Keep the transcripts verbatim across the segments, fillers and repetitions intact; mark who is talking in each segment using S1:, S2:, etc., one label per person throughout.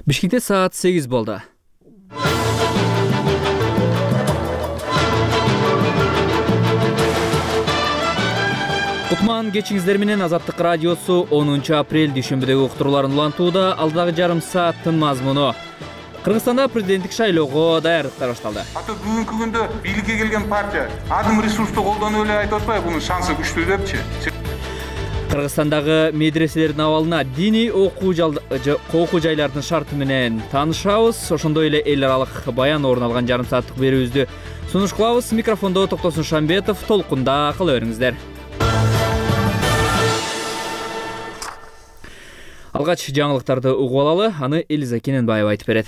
S1: Бишкекте саат сегиз болду. Кутман кечиңиздер менен Азаттык радиосу онунчу апрель дүйшөмбүдөгү уктурууларын улантууда. Алдагы жарым сааттын мазмуну: Кыргызстанда президенттик шайлоого даярдыктар башталды.
S2: Ата бүгүнкү күндө бийликке келген партия адым ресурсту колдонуп эле айтып атпайбы, бунун шансы күчтүү депчи.
S1: Кыргызстандагы медреселердин абалына, диний окуу жайлардын шарты менен таанышабыз. Ошондой эле эл аралык баян орун алган жарым сааттык берүүбүздү сунуш кылабыз. Микрофондо Токтосун Шамбетов, толкунда кала бериңиздер. Алгач жаңылыктарды угуп алалы, аны Элиза Кененбаева айтып берет.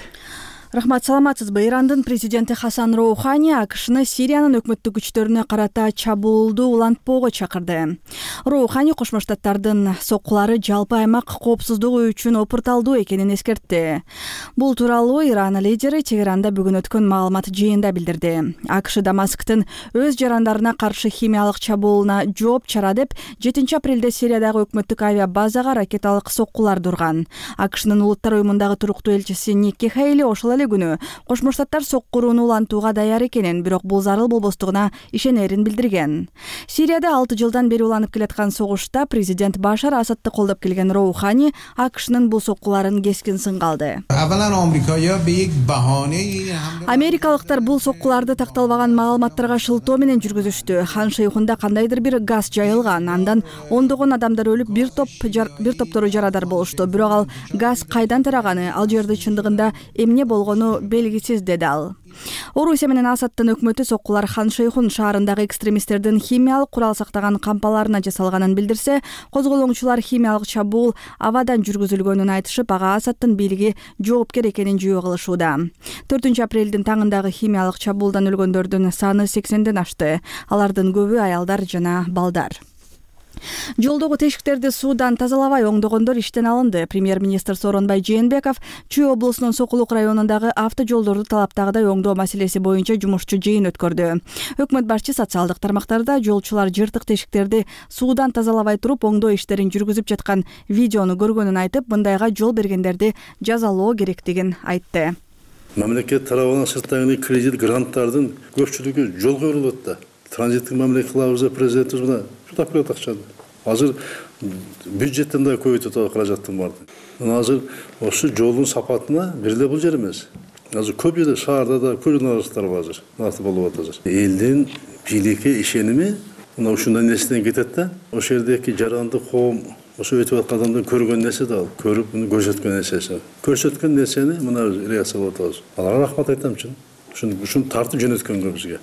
S3: Рахмат, саламатсызбы? Ирандын президенти Хасан Роухани АКШны Сириянын өкмөттүк күчтөрүнө карата чабуулду улантпоого чакырды. Роухани Кошмо Штаттардын соккулары жалпы аймак коопсуздугу үчүн опурталдуу экенин эскертти. Бул тууралуу Иран лидери Тегеранда бүгүн өткөн маалымат жыйында билдирди. АКШ Дамасктын өз жарандарына каршы химиялык чабуулуна жооп чара деп жетинчи апрелде Сириядагы өкмөттүк авиа базага ракеталык соккуларды урган. АКШнын улуттар уюмундагы туруктуу элчиси Никки Хейли ошол күнү Кошмо Штаттар соккурууну улантууга даяр экенин, бирок бул зарыл болбостугуна ишенерин билдирген. Сирияда алты жылдан бери уланып келаткан согушта президент Башар Асадты колдоп келген Роухани АКШнын бул соккуларын кескин сынга алды. Америкалыктар бул соккуларды такталбаган маалыматтарга шылтоо менен жүргүзүштү. Хан Шейхунда кандайдыр бир газ жайылган, андан ондогон адамдар өлүп, бир топ жар, бир топтору жарадар болушту. Бирок ал газ кайдан тараганы, ал жерде чындыгында эмне болгону белгисиз, деди ал. Орусия менен Асадтын өкмөтү соккулар Хан Шейхун шаарындагы экстремисттердин химиялык курал сактаган кампаларына жасалганын билдирсе, козголоңчулар химиялык чабуул абадан жүргүзүлгөнүн айтышып, ага Асадтын бийлиги жоопкер экенин жүйө кылышууда. төртүнчү апрелдин таңындагы химиялык чабуулдан өлгөндөрдүн саны сексенден ашты. Алардын көбү аялдар жана балдар. Жолдогу тешиктерди суудан тазалабай оңдогондор иштен алынды. Премьер-министр Сооронбай Жээнбеков Чүй облусунун Сокулук районундагы автожолдорду талаптагыдай оңдоо маселеси боюнча жумушчу жыйын өткөрдү. Өкмөт башчы социалдык тармактарда жолчулар жыртык тешиктерди суудан тазалабай туруп оңдоо иштерин жүргүзүп жаткан видеону көргөнүн айтып, мындайга жол бергендерди жазалоо керектигин айтты.
S4: Мамлекет тарабынан сырттагы кредит гранттардын көпчүлүгү жол коюлуп атты. Транзиттик мамлекет кылабыз деп президентибиз мына жутап берет акчаны. Азыр бюджеттен да көбөйтүп каражаттын барды. Азыр ошо жолдун сапатына бир эле бул жер эмес. Азыр көп жерде шаарда да көйнөлүктөр бар азыр. Насып болуп атат азыр. Элдин бийликке ишеними мына ушундай нерседен кетет да. Ошол жердеги жаранды коом, ошо өтүп аткан адамдын көргөн нерсе да ал, көрүп муну көрсөткөн нерсеси. Көрсөткөн нерсени мына реакция болуп атабыз. Аларга рахмат айтам чын. Ушуну ушуну тартып жөнөткөнгө бизге.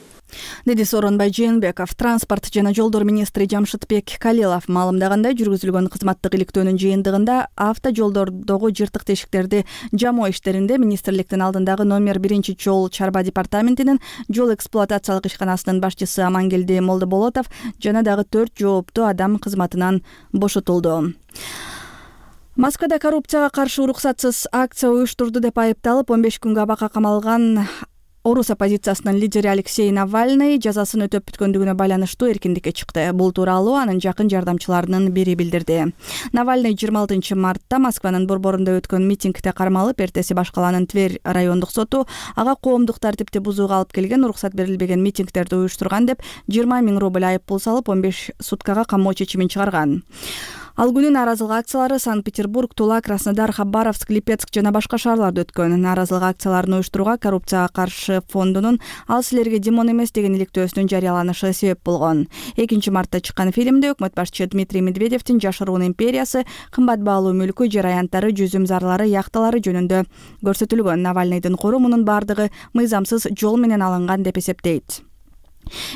S3: Деди Сооронбай Жээнбеков. Транспорт жана жолдор министри Жамшытбек Калилов маалымдагандай, жүргүзүлгөн кызматтык иликтөөнүн жыйынтыгында автожолдордогу жыртык тешиктерди жамоо иштеринде министрликтин алдындагы номер биринчи жол чарба департаментинин жол эксплуатациялык ишканасынын башчысы Амангелди Молдоболотов жана дагы төрт жооптуу адам кызматынан бошотулду. Москвада коррупцияга каршы уруксатсыз акция уюштурду деп айыпталып он беш күнгө абакка камалган орус оппозициясынын лидери Алексей Навальный жазасын өтөп бүткөндүгүнө байланыштуу эркиндикке чыкты. Бул тууралуу анын жакын жардамчыларынын бири билдирди. Навальный жыйырма алтынчы мартта Москванын борборунда өткөн митингде кармалып, эртеси баш калаанын Тверь райондук соту ага коомдук тартипти бузууга алып келген, уруксат берилбеген митингдерди уюштурган деп жыйырма миң рубль айып пул салып, он беш суткага камоо чечимин чыгарган. Ал күнү нааразылык акциялары Санкт-Петербург, Тула, Краснодар, Хабаровск, Липецк жана башка шаарларда өткөн. Нааразылык акцияларын уюштурууга Коррупцияга каршы фондунун «Ал силерге Димон эмес» деген иликтөөсүнүн жарыяланышы себеп болгон. экинчи мартта чыккан фильмде өкмөт башчы Дмитрий Медведевдин жашыруун империясы, кымбат баалуу мүлкү, жер аянттары, жүзүм зарлары, яхталары жөнүндө көрсөтүлгөн. Навальныйдын кору мунун бардыгы мыйзамсыз жол менен алынган деп эсептейт.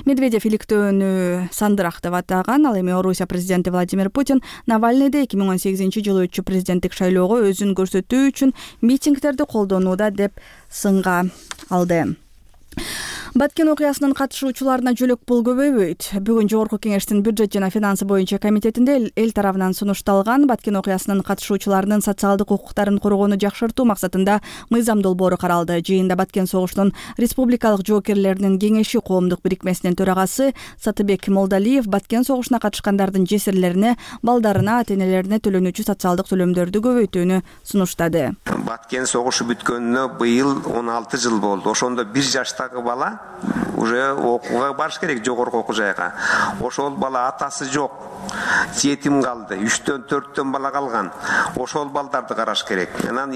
S3: Медведев иликтөөнү сандырак деп атаган. Ал эми Орусия президенти Владимир Путин Навальныйды эки миң он сегизинчи жылы өтчү президенттик шайлоого өзүн көрсөтүү үчүн митингдерди колдонууда деп сынга алды. Баткен окуясынын катышуучуларына жөлөк пул көбөйбөйт. Бүгүн Жогорку Кеңештин бюджет жана финансы боюнча комитетинде эл тарабынан сунушталган Баткен окуясынын катышуучуларынын социалдык укуктарын коргоону жакшыртуу максатында мыйзам долбоору каралды. Жыйында Баткен согуштун республикалык жоокерлеринин кеңеши коомдук бирикмесинин төрагасы Сатыбек Молдалиев Баткен согушуна катышкандардын жесирлерине, балдарына, ата-энелерине төлөнүүчү социалдык төлөмдөрдү көбөйтүүнү сунуштады.
S5: Баткен согушу бүткөнүнө быйыл он алты жыл болду. Ошондо бир жаштагы бала уже окууга барыш керек, жогорку окуу жайга. Ошол бала атасы жок, жетим калды, үчтөн төрттөн бала калган. Ошол балдарды караш керек. Анан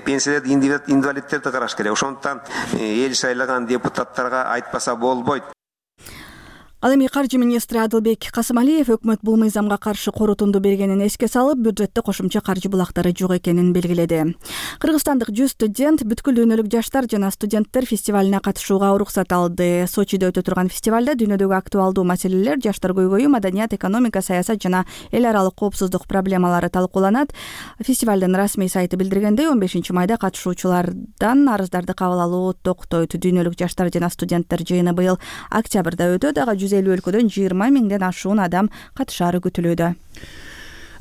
S5: пенсиялерди, инвалидтерди караш керек. Ошондуктан эл шайлаган депутаттарга айтпаса болбойт.
S3: Ал эми каржы министри Адылбек Касымалиев өкмөт бул мыйзамга каршы корутунду бергенин эске салып, бюджетте кошумча каржы булактары жок экенин белгиледи. Кыргызстандык жүз студент бүткүл дүйнөлүк жаштар жана студенттер фестивалына катышууга уруксат алды. Сочиде өтө турган фестивалда дүйнөдөгү актуалдуу маселелер, жаштар көйгөйү, маданият, экономика, саясат жана эл аралык коопсуздук проблемалары талкууланат. Фестивалдын расмий сайты билдиргендей, он бешинчи майда катышуучулардан арыздарды кабыл алуу токтойт. Дүйнөлүк жаштар жана студенттер жыйыны быйыл октябрда өтөт. Ага жүз элүү өлкөдөн жыйырма миңден ашуун адам катышаары күтүлүүдө.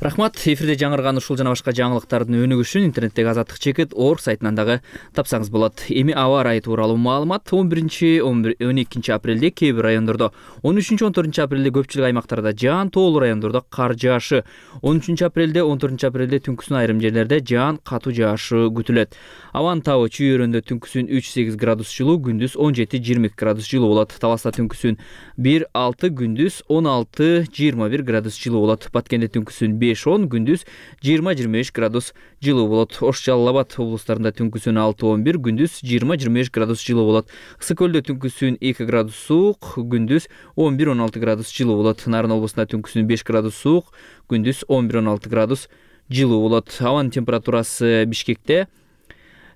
S1: Рахмат. Эфирде жаңырган ушул жана башка жаңылыктардын өнүгүшүн интернеттеги Азаттык чекит орг сайтынан дагы тапсаңыз болот. Эми аба ырайы тууралуу маалымат. он биринчи он экинчи апрелде кээ бир райондордо, он үчүнчү он төртүнчү апрелде көпчүлүк аймактарда жаан, тоолуу райондордо кар жаашы, он үчүнчү апрелде он төртүнчү апрелде түнкүсүн айрым жерлерде жаан, катуу жаашы күтүлөт. Абанын табы чүйөрөндө түнкүсүн үч сегиз градус жылуу, күндүз он жети жыйырма эки градус жылуу болот. Таласта түнкүсүн бир алты, күндүз он алты жыйырма бир градус жылуу болот. Баткенде түнкүсүн беш он, күндүз жыйырма жыйырма беш градус жылуу болот. Ош Жалал Абад облустарында түнкүсүн алты он бир, күндүз жыйырма жыйырма беш градус жылуу болот. Ысык көлдө түнкүсүн эки градус суук, күндүз он бир он алты градус жылуу болот. Нарын облусунда түнкүсүн беш градус суук, күндүз он бир он алты градус жылуу болот. Абанын температурасы Бишкекте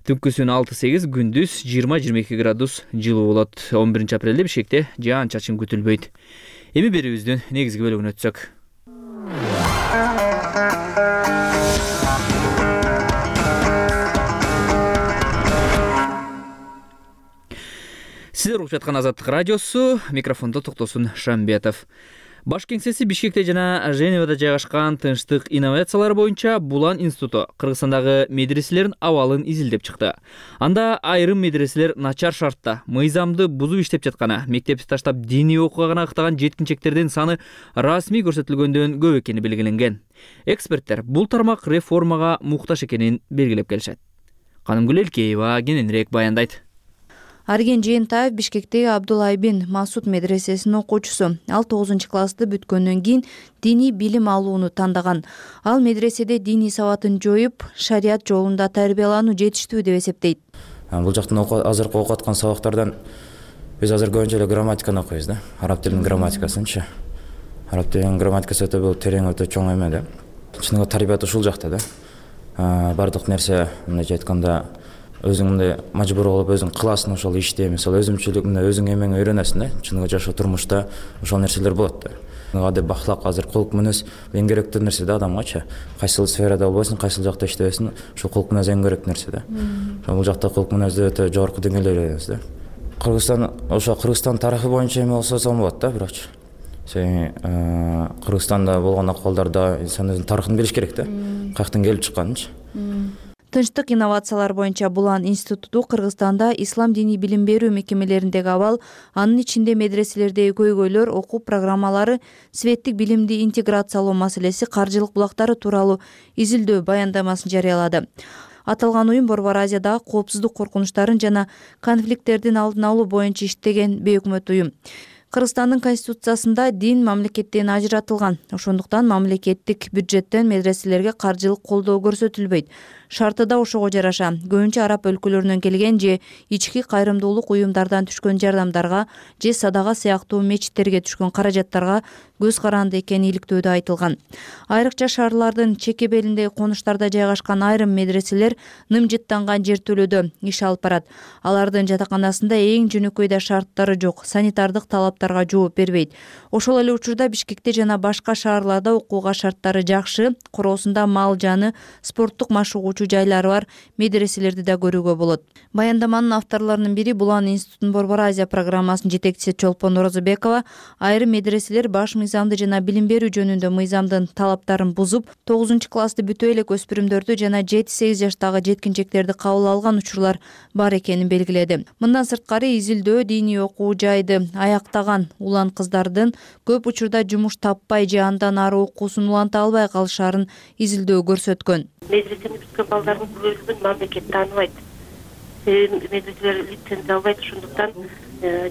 S1: түнкүсүн алты сегиз, күндүз жыйырма жыйырма эки градус жылуу болот. он биринчи апрелде Бишкекте жаан чачын күтүлбөйт. Эми берүүбүздүн негизги бөлүгүнө өтсөк. Сиздер угуп жаткан Азаттык радиосу, микрофондо Токтосун Шамбетов. Баш кеңсеси Бишкекте жана Женевада жайгашкан Тынчтык инновациялар боюнча Булан институту Кыргызстандагы медреселердин абалын изилдеп чыкты. Анда айрым медреселер начар шартта, мыйзамды бузуп иштеп жатканы, мектепти таштап диний окууга гана ыктаган жеткинчектердин саны расмий көрсөтүлгөндөн көп экени белгиленген. Эксперттер бул тармак реформага муктаж экенин белгилеп келишет. Канымгүл Элкеева кененирээк баяндайт.
S6: Арген Жээнтаев Бишкектеги Абдулайбин Масуд медресесинин окуучусу. Ал тогузунчу классты бүткөндөн кийин диний билим алууну тандаган. Ал медреседе диний сабатын жоюп, шарият жолунда тарбиялануу жетиштүү деп эсептейт.
S7: Бул жактан азыркы окуп аткан сабактардан биз азыр көбүнчө эле грамматиканы окуйбуз да. Араб тилинин грамматикасынчы. Араб тилинин грамматикасы өтө бул терең, өтө чоң эме да. Чыныгы тарбият ушул жакта да. Бардык нерсе мындайча айтканда өзүң мындай мажбур болуп өзүң кыласың ошол ишти, мисалы өзүмчүлүк мындай өзүң эмеңе үйрөнөсүң да. Чыныгы жашоо турмушта ошол нерселер болот да. Адеп бахлак, азыр кулк мүнөз эң керектүү нерсе да адамгачы. Кайсыл сферада болбосун, кайсыл жакта иштебесин, ошол кулк мүнөз эң керектүү нерсе да. Бул жакта кулк мүнөздү өтө жогорку деңгээлде үйрөнөбүз да. Кыргызстан, ошо Кыргызстан тарыхы боюнча эме болсо сон болот да, бирокчу. Сен Кыргызстанда болгон акыбалдарда инсан өзүнүн тарыхын билиш керек да. Каяктан келип чыкканынчы.
S6: Тынчтык инновациялар боюнча Булан институту Кыргызстанда ислам диний билим берүү мекемелериндеги абал, анын ичинде медреселердеги көйгөйлөр, окуу программалары, светтик билимди интеграциялоо маселеси, каржылык булактары тууралуу изилдөө баяндамасын жарыялады. Аталган уюм Борбор Азиядагы коопсуздук коркунучтарын жана конфликттердин алдын алуу боюнча иштеген бейөкмөт уюм. Кыргызстандын конституциясында дин мамлекеттен ажыратылган. Ошондуктан мамлекеттик бюджеттен медреселерге каржылык колдоо көрсөтүлбөйт. Шарты да ошого жараша. Көбүнчө араб өлкөлөрүнөн келген же ички кайрымдуулук уюмдардан түшкөн жардамдарга же садага сыяктуу мечиттерге түшкөн каражаттарга көз каранды экени иликтөөдө айтылган. Айрыкча шаарлардын чеке белиндеги конуштарда жайгашкан айрым медреселер нымжыттанган жертөлөдө иш алып барат. Алардын жатаканасында эң жөнөкөй да шарттары жок, санитардык талаптарга жооп бербейт. Ошол эле учурда Бишкекте жана башка шаарларда окууга шарттары жакшы, короосунда мал жаны, спорттук машыгуу окуучу жайлары бар медреселерди да көрүүгө болот. Баяндаманын авторлорунун бири Булан институтунун Борбор Азия программасынын жетекчиси Чолпон Орозобекова айрым медреселер баш мыйзамды жана билим берүү жөнүндө мыйзамдын талаптарын бузуп, тогузунчу классты бүтө элек өспүрүмдөрдү жана жети сегиз жаштагы жеткинчектерди кабыл алган учурлар бар экенин белгиледи. Мындан сырткары изилдөө диний окуу жайды аяктаган улан кыздардын көп учурда жумуш таппай же андан ары окуусун уланта албай калышарын изилдөө көрсөткөн.
S8: Медресени бүткөн балдардын көбүнчөсүн мамлекет тааныбайт. Медреселер лицензия албайт, ошондуктан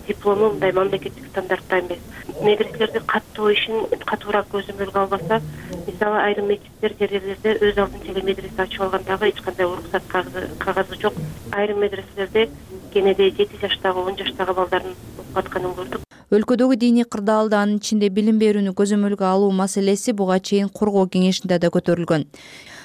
S8: диплому мындай мамлекеттик стандартта эмес. Медреселерди каттоо ишин катуураак көзөмөлгө албаса, мисалы айрым мектептер жерлерде өз алдынча эле медресе ачып алгандагы эч кандай уруксат кагазы жок. Айрым медреселерде кенеде жети жаштагы, он жаштагы балдардын окуп атканын көрдүк.
S6: Өлкөдөгү диний кырдаалды, анын ичинде билим берүүнү көзөмөлгө алуу маселеси буга чейин коргоо кеңешинде да көтөрүлгөн.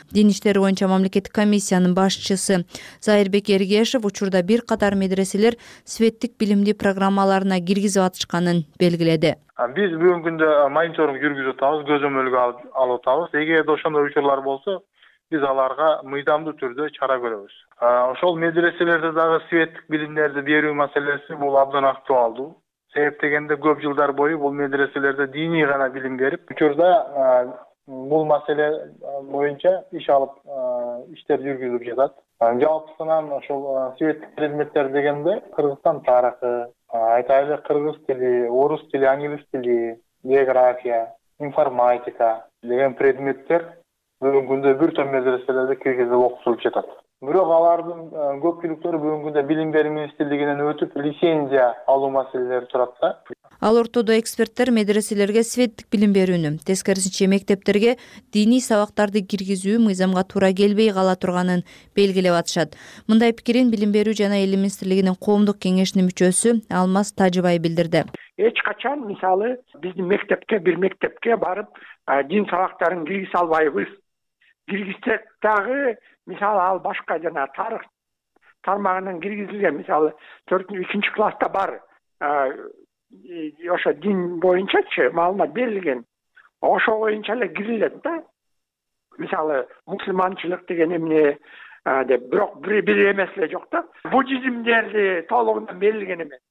S6: Дин иштери боюнча мамлекеттик комиссиянын башчысы Зайырбек Эргешев учурда бир катар медреселер светтик билимди программаларына киргизип атышканын белгиледи.
S9: Биз бүгүнкү күндө мониторинг жүргүзүп атабыз, көзөмөлгө алып атабыз. Эгерде ошондой учурлар болсо, биз аларга мыйзамдуу түрдө чара көрөбүз. Ошол медреселерде дагы светтик билимдерди берүү маселеси бул абдан актуалдуу. Себеп дегенде көп жылдар бою бул медреселерде диний гана билим берип, учурда бул маселе боюнча иш алып иштер жүргүзүлүп жатат. Жалпысынан ошол светтик предметтер дегенде Кыргызстан тарыхы, айтайлы кыргыз тили, орус тили, англис тили, география, информатика деген предметтер бүгүнкү күндө бир топ медреселерде киргизип окутулуп жатат. Бирок алардын көпчүлүктөрү бүгүнкү күндө билим берүү министрлигинен өтүп лицензия алуу маселелери турат да.
S6: Ал ортодо эксперттер медреселерге светтик билим берүүнү, тескерисинче мектептерге диний сабактарды киргизүү мыйзамга туура келбей кала турганын белгилеп атышат. Мындай пикирин билим берүү жана эл министрлигинин коомдук кеңешинин мүчөсү Алмаз Тажыбай билдирди.
S10: Эч качан мисалы биздин мектепке бир мектепке барып дин сабактарын киргизе албайбыз. Киргизсек дагы мисалы ал башка жана тарых тармагынан киргизилген, мисалы төртүнчү үчүнчү класста бар ошо дин боюнчачы маалымат берилген. Ошо боюнча эле кирилет да. Мисалы мусулманчылык деген эмне деп, бирок бир эмес эле жок да. Буддизмдерди толугунан берилген эмес.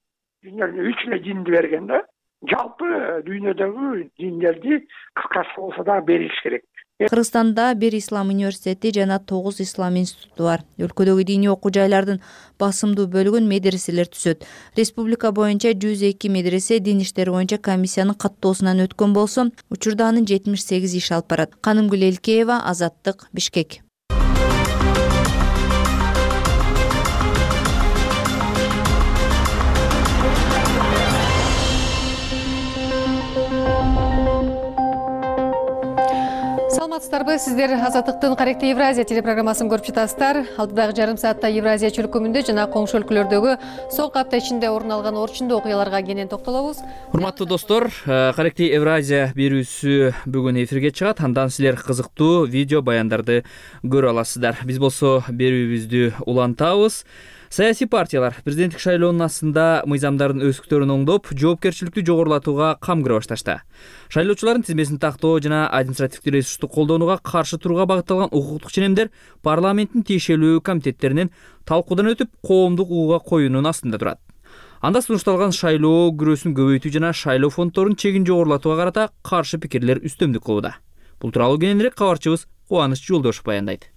S10: Дүйнөнүн үч эле динди берген да. Жалпы дүйнөдөгү диндерди кыскасы болсо да бериш керек.
S6: Кыргызстанда бир ислам университети жана тогуз ислам институту бар. Өлкөдөгү диний окуу жайлардын басымдуу бөлүгүн медреселер түзөт. Республика боюнча жүз эки медресе дин иштери боюнча комиссиянын каттоосунан өткөн болсо, учурда анын жетимиш сегиз иш алып барат. Канымгүл Элкеева, Азаттык, Бишкек.
S11: Саламатсыздарбы, сиздер Азаттыктын Каректи Евразия телепрограммасын көрүп жатасыздар. Алдыдагы жарым саатта Евразия чөлкөмүндө жана коңшу өлкөлөрдөгү соңку апта ичинде орун алган орчундуу окуяларга кенен токтолобуз.
S1: Урматтуу достор, Каректи Евразия берүүсү бүгүн эфирге чыгат. Андан силер кызыктуу видео баяндарды көрө аласыздар. Биз болсо берүүбүздү улантабыз. Саясий партиялар президенттик шайлоонун астында мыйзамдардын өскүктөрүн оңдоп, жоопкерчиликти жогорулатууга кам көрө башташты. Шайлоочулардын тизмесин тактоо жана административдик ресурсту колдонууга каршы турууга багытталган укуктук ченемдер парламенттин тиешелүү комитеттеринен талкуудан өтүп, коомдук угууга коюунун астында турат. Анда сунушталган шайлоо күрөөсүн көбөйтүү жана шайлоо фонддорун чегин жогорулатууга карата каршы пикирлер үстөмдүк кылууда. Бул тууралуу кененирээк кабарчыбыз Кубаныч Жолдошов баяндайт.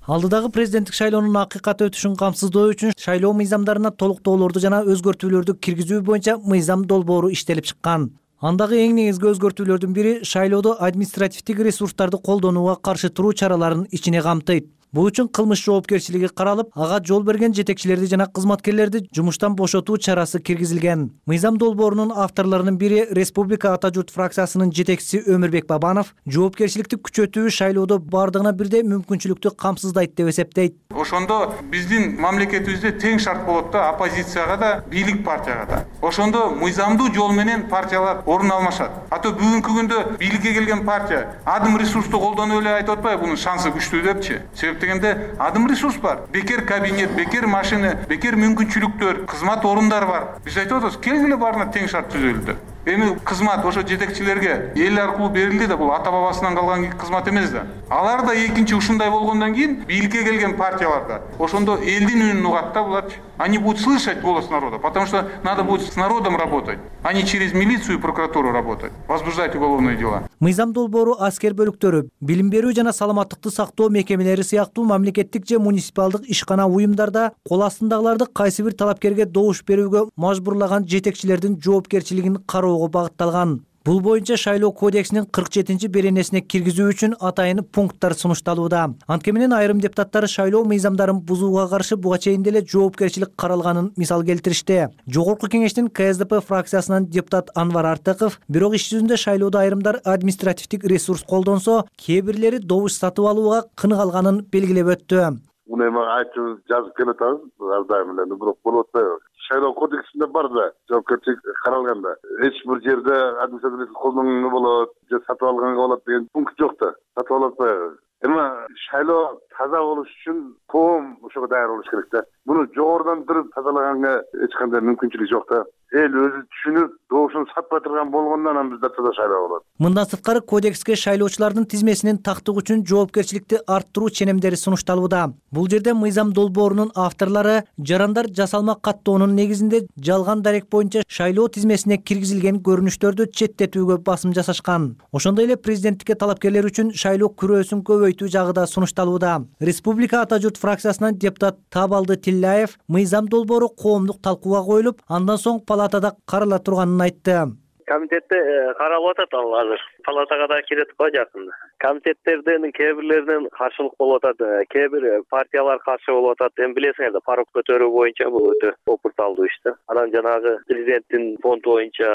S12: Алдыдагы президенттик шайлоонун акыйкат өтүшүн камсыздоо үчүн шайлоо мыйзамдарына толуктоолорду жана өзгөртүүлөрдү киргизүү боюнча мыйзам долбоору иштелип чыккан. Андагы эң негизги өзгөртүүлөрдүн бири шайлоодо административдик ресурстарды колдонууга каршы туруу чараларын ичине камтыйт. Бул үчүн кылмыш жоопкерчилиги каралып, ага жол берген жетекчилерди жана кызматкерлерди жумуштан бошотуу чарасы киргизилген. Мыйзам долбоорунун авторлорунун бири Республика Ата журт фракциясынын жетекчиси Өмүрбек Бабанов жоопкерчиликти күчөтүү шайлоодо бардыгына бирдей мүмкүнчүлүктү камсыздайт деп эсептейт.
S2: Ошондо биздин мамлекетибизде тең шарт болот да, оппозицияга да, бийлик партияга да. Ошондо мыйзамдуу жол менен партиялар орун алмашат. Ато бүгүнкү күндө бийликке келген партия адым ресурсту колдонуп эле айтып атпайбы, бунун шансы күчтүү депчи. Себеп дегенде адым ресурс бар. Бекер кабинет, бекер машина, бекер мүмкүнчүлүктөр, кызмат орундар бар. Биз айтып атабыз, келгиле баарына тең шарт түзөлдү. Эми кызмат ошо жетекчилерге эл аркылуу берилди да, бул ата бабасынан калган кызмат эмес да. Алар да экинчи ушундай болгондон кийин бийликке келген партияларда ошондо элдин үнүн угат да булар. Они будут слышать голос народа, потому что надо будет с народом работать, а не через милицию и прокуратуру работать, возбуждать уголовные дела.
S12: Мыйзам долбоору аскер бөлүктөрү, билим берүү жана саламаттыкты сактоо мекемелери сыяктуу мамлекеттик же муниципалдык ишкана уюмдарда кол астындагыларды кайсы бир талапкерге добуш берүүгө мажбурлаган жетекчилердин жоопкерчилигин кароого багытталган. Бул боюнча шайлоо кодексинин кырк жетинчи беренесине киргизүү үчүн атайын пункттар сунушталууда. Анткени менен айрым депутаттар шайлоо мыйзамдарын бузууга каршы буга чейин деле жоопкерчилик каралганын мисал келтиришти. Жогорку кеңештин ка эс дэ пэ фракциясынан депутат Анвар Артыков бирок иш жүзүндө шайлоодо айрымдар административдик ресурс колдонсо, кээ бирлери добуш сатып алууга кыныгалганын белгилеп өттү.
S13: Муну эми айтып жазып келатабыз, ар дайым эле, бирок болуп атпайбы. Шайлоо кодексинде бар да, жоопкерчилик каралганда. Эч бир жерде административдик колдонууга болот, же сатып алганга болот деген пункт жок да. Сатып алып атпайбы. Эми шайлоо таза болуш үчүн коом ошого даяр болуш керек да. Муну жогорудон туруп тазалаганга эч кандай мүмкүнчүлүк жок да. Эл өзү түшүнүп, добушун сатпай турган болгондо анан бизде таза шайлоо болот.
S12: Мындан сырткары кодекске шайлоочулардын тизмесинин тактык үчүн жоопкерчиликти арттыруу ченемдери сунушталууда. Бул жерде мыйзам долбоорунун авторлору жарандар жасалма каттоонун негизинде жалган дарек боюнча шайлоо тизмесине киргизилген көрүнүштөрдү четтетүүгө басым жасашкан. Ошондой эле президенттикке талапкерлер үчүн шайлоо күрөөсүн көбөйтүү жагы да сунушталууда. Республика Ата журт фракциясынан депутат Табалды Тилляев мыйзам долбоору коомдук талкууга коюлуп, андан соң палатада карала турганын айтты.
S14: Комитетте каралып атат ал азыр. Палатага да кирет го жакында. Комитеттердин кээ бирлеринен каршылык болуп атат, кээ бир партиялар каршы болуп атат. Эми билесиңер да, парок көтөрүү боюнча бул өтө опурталдуу иш да. Анан жанагы президенттин фонду боюнча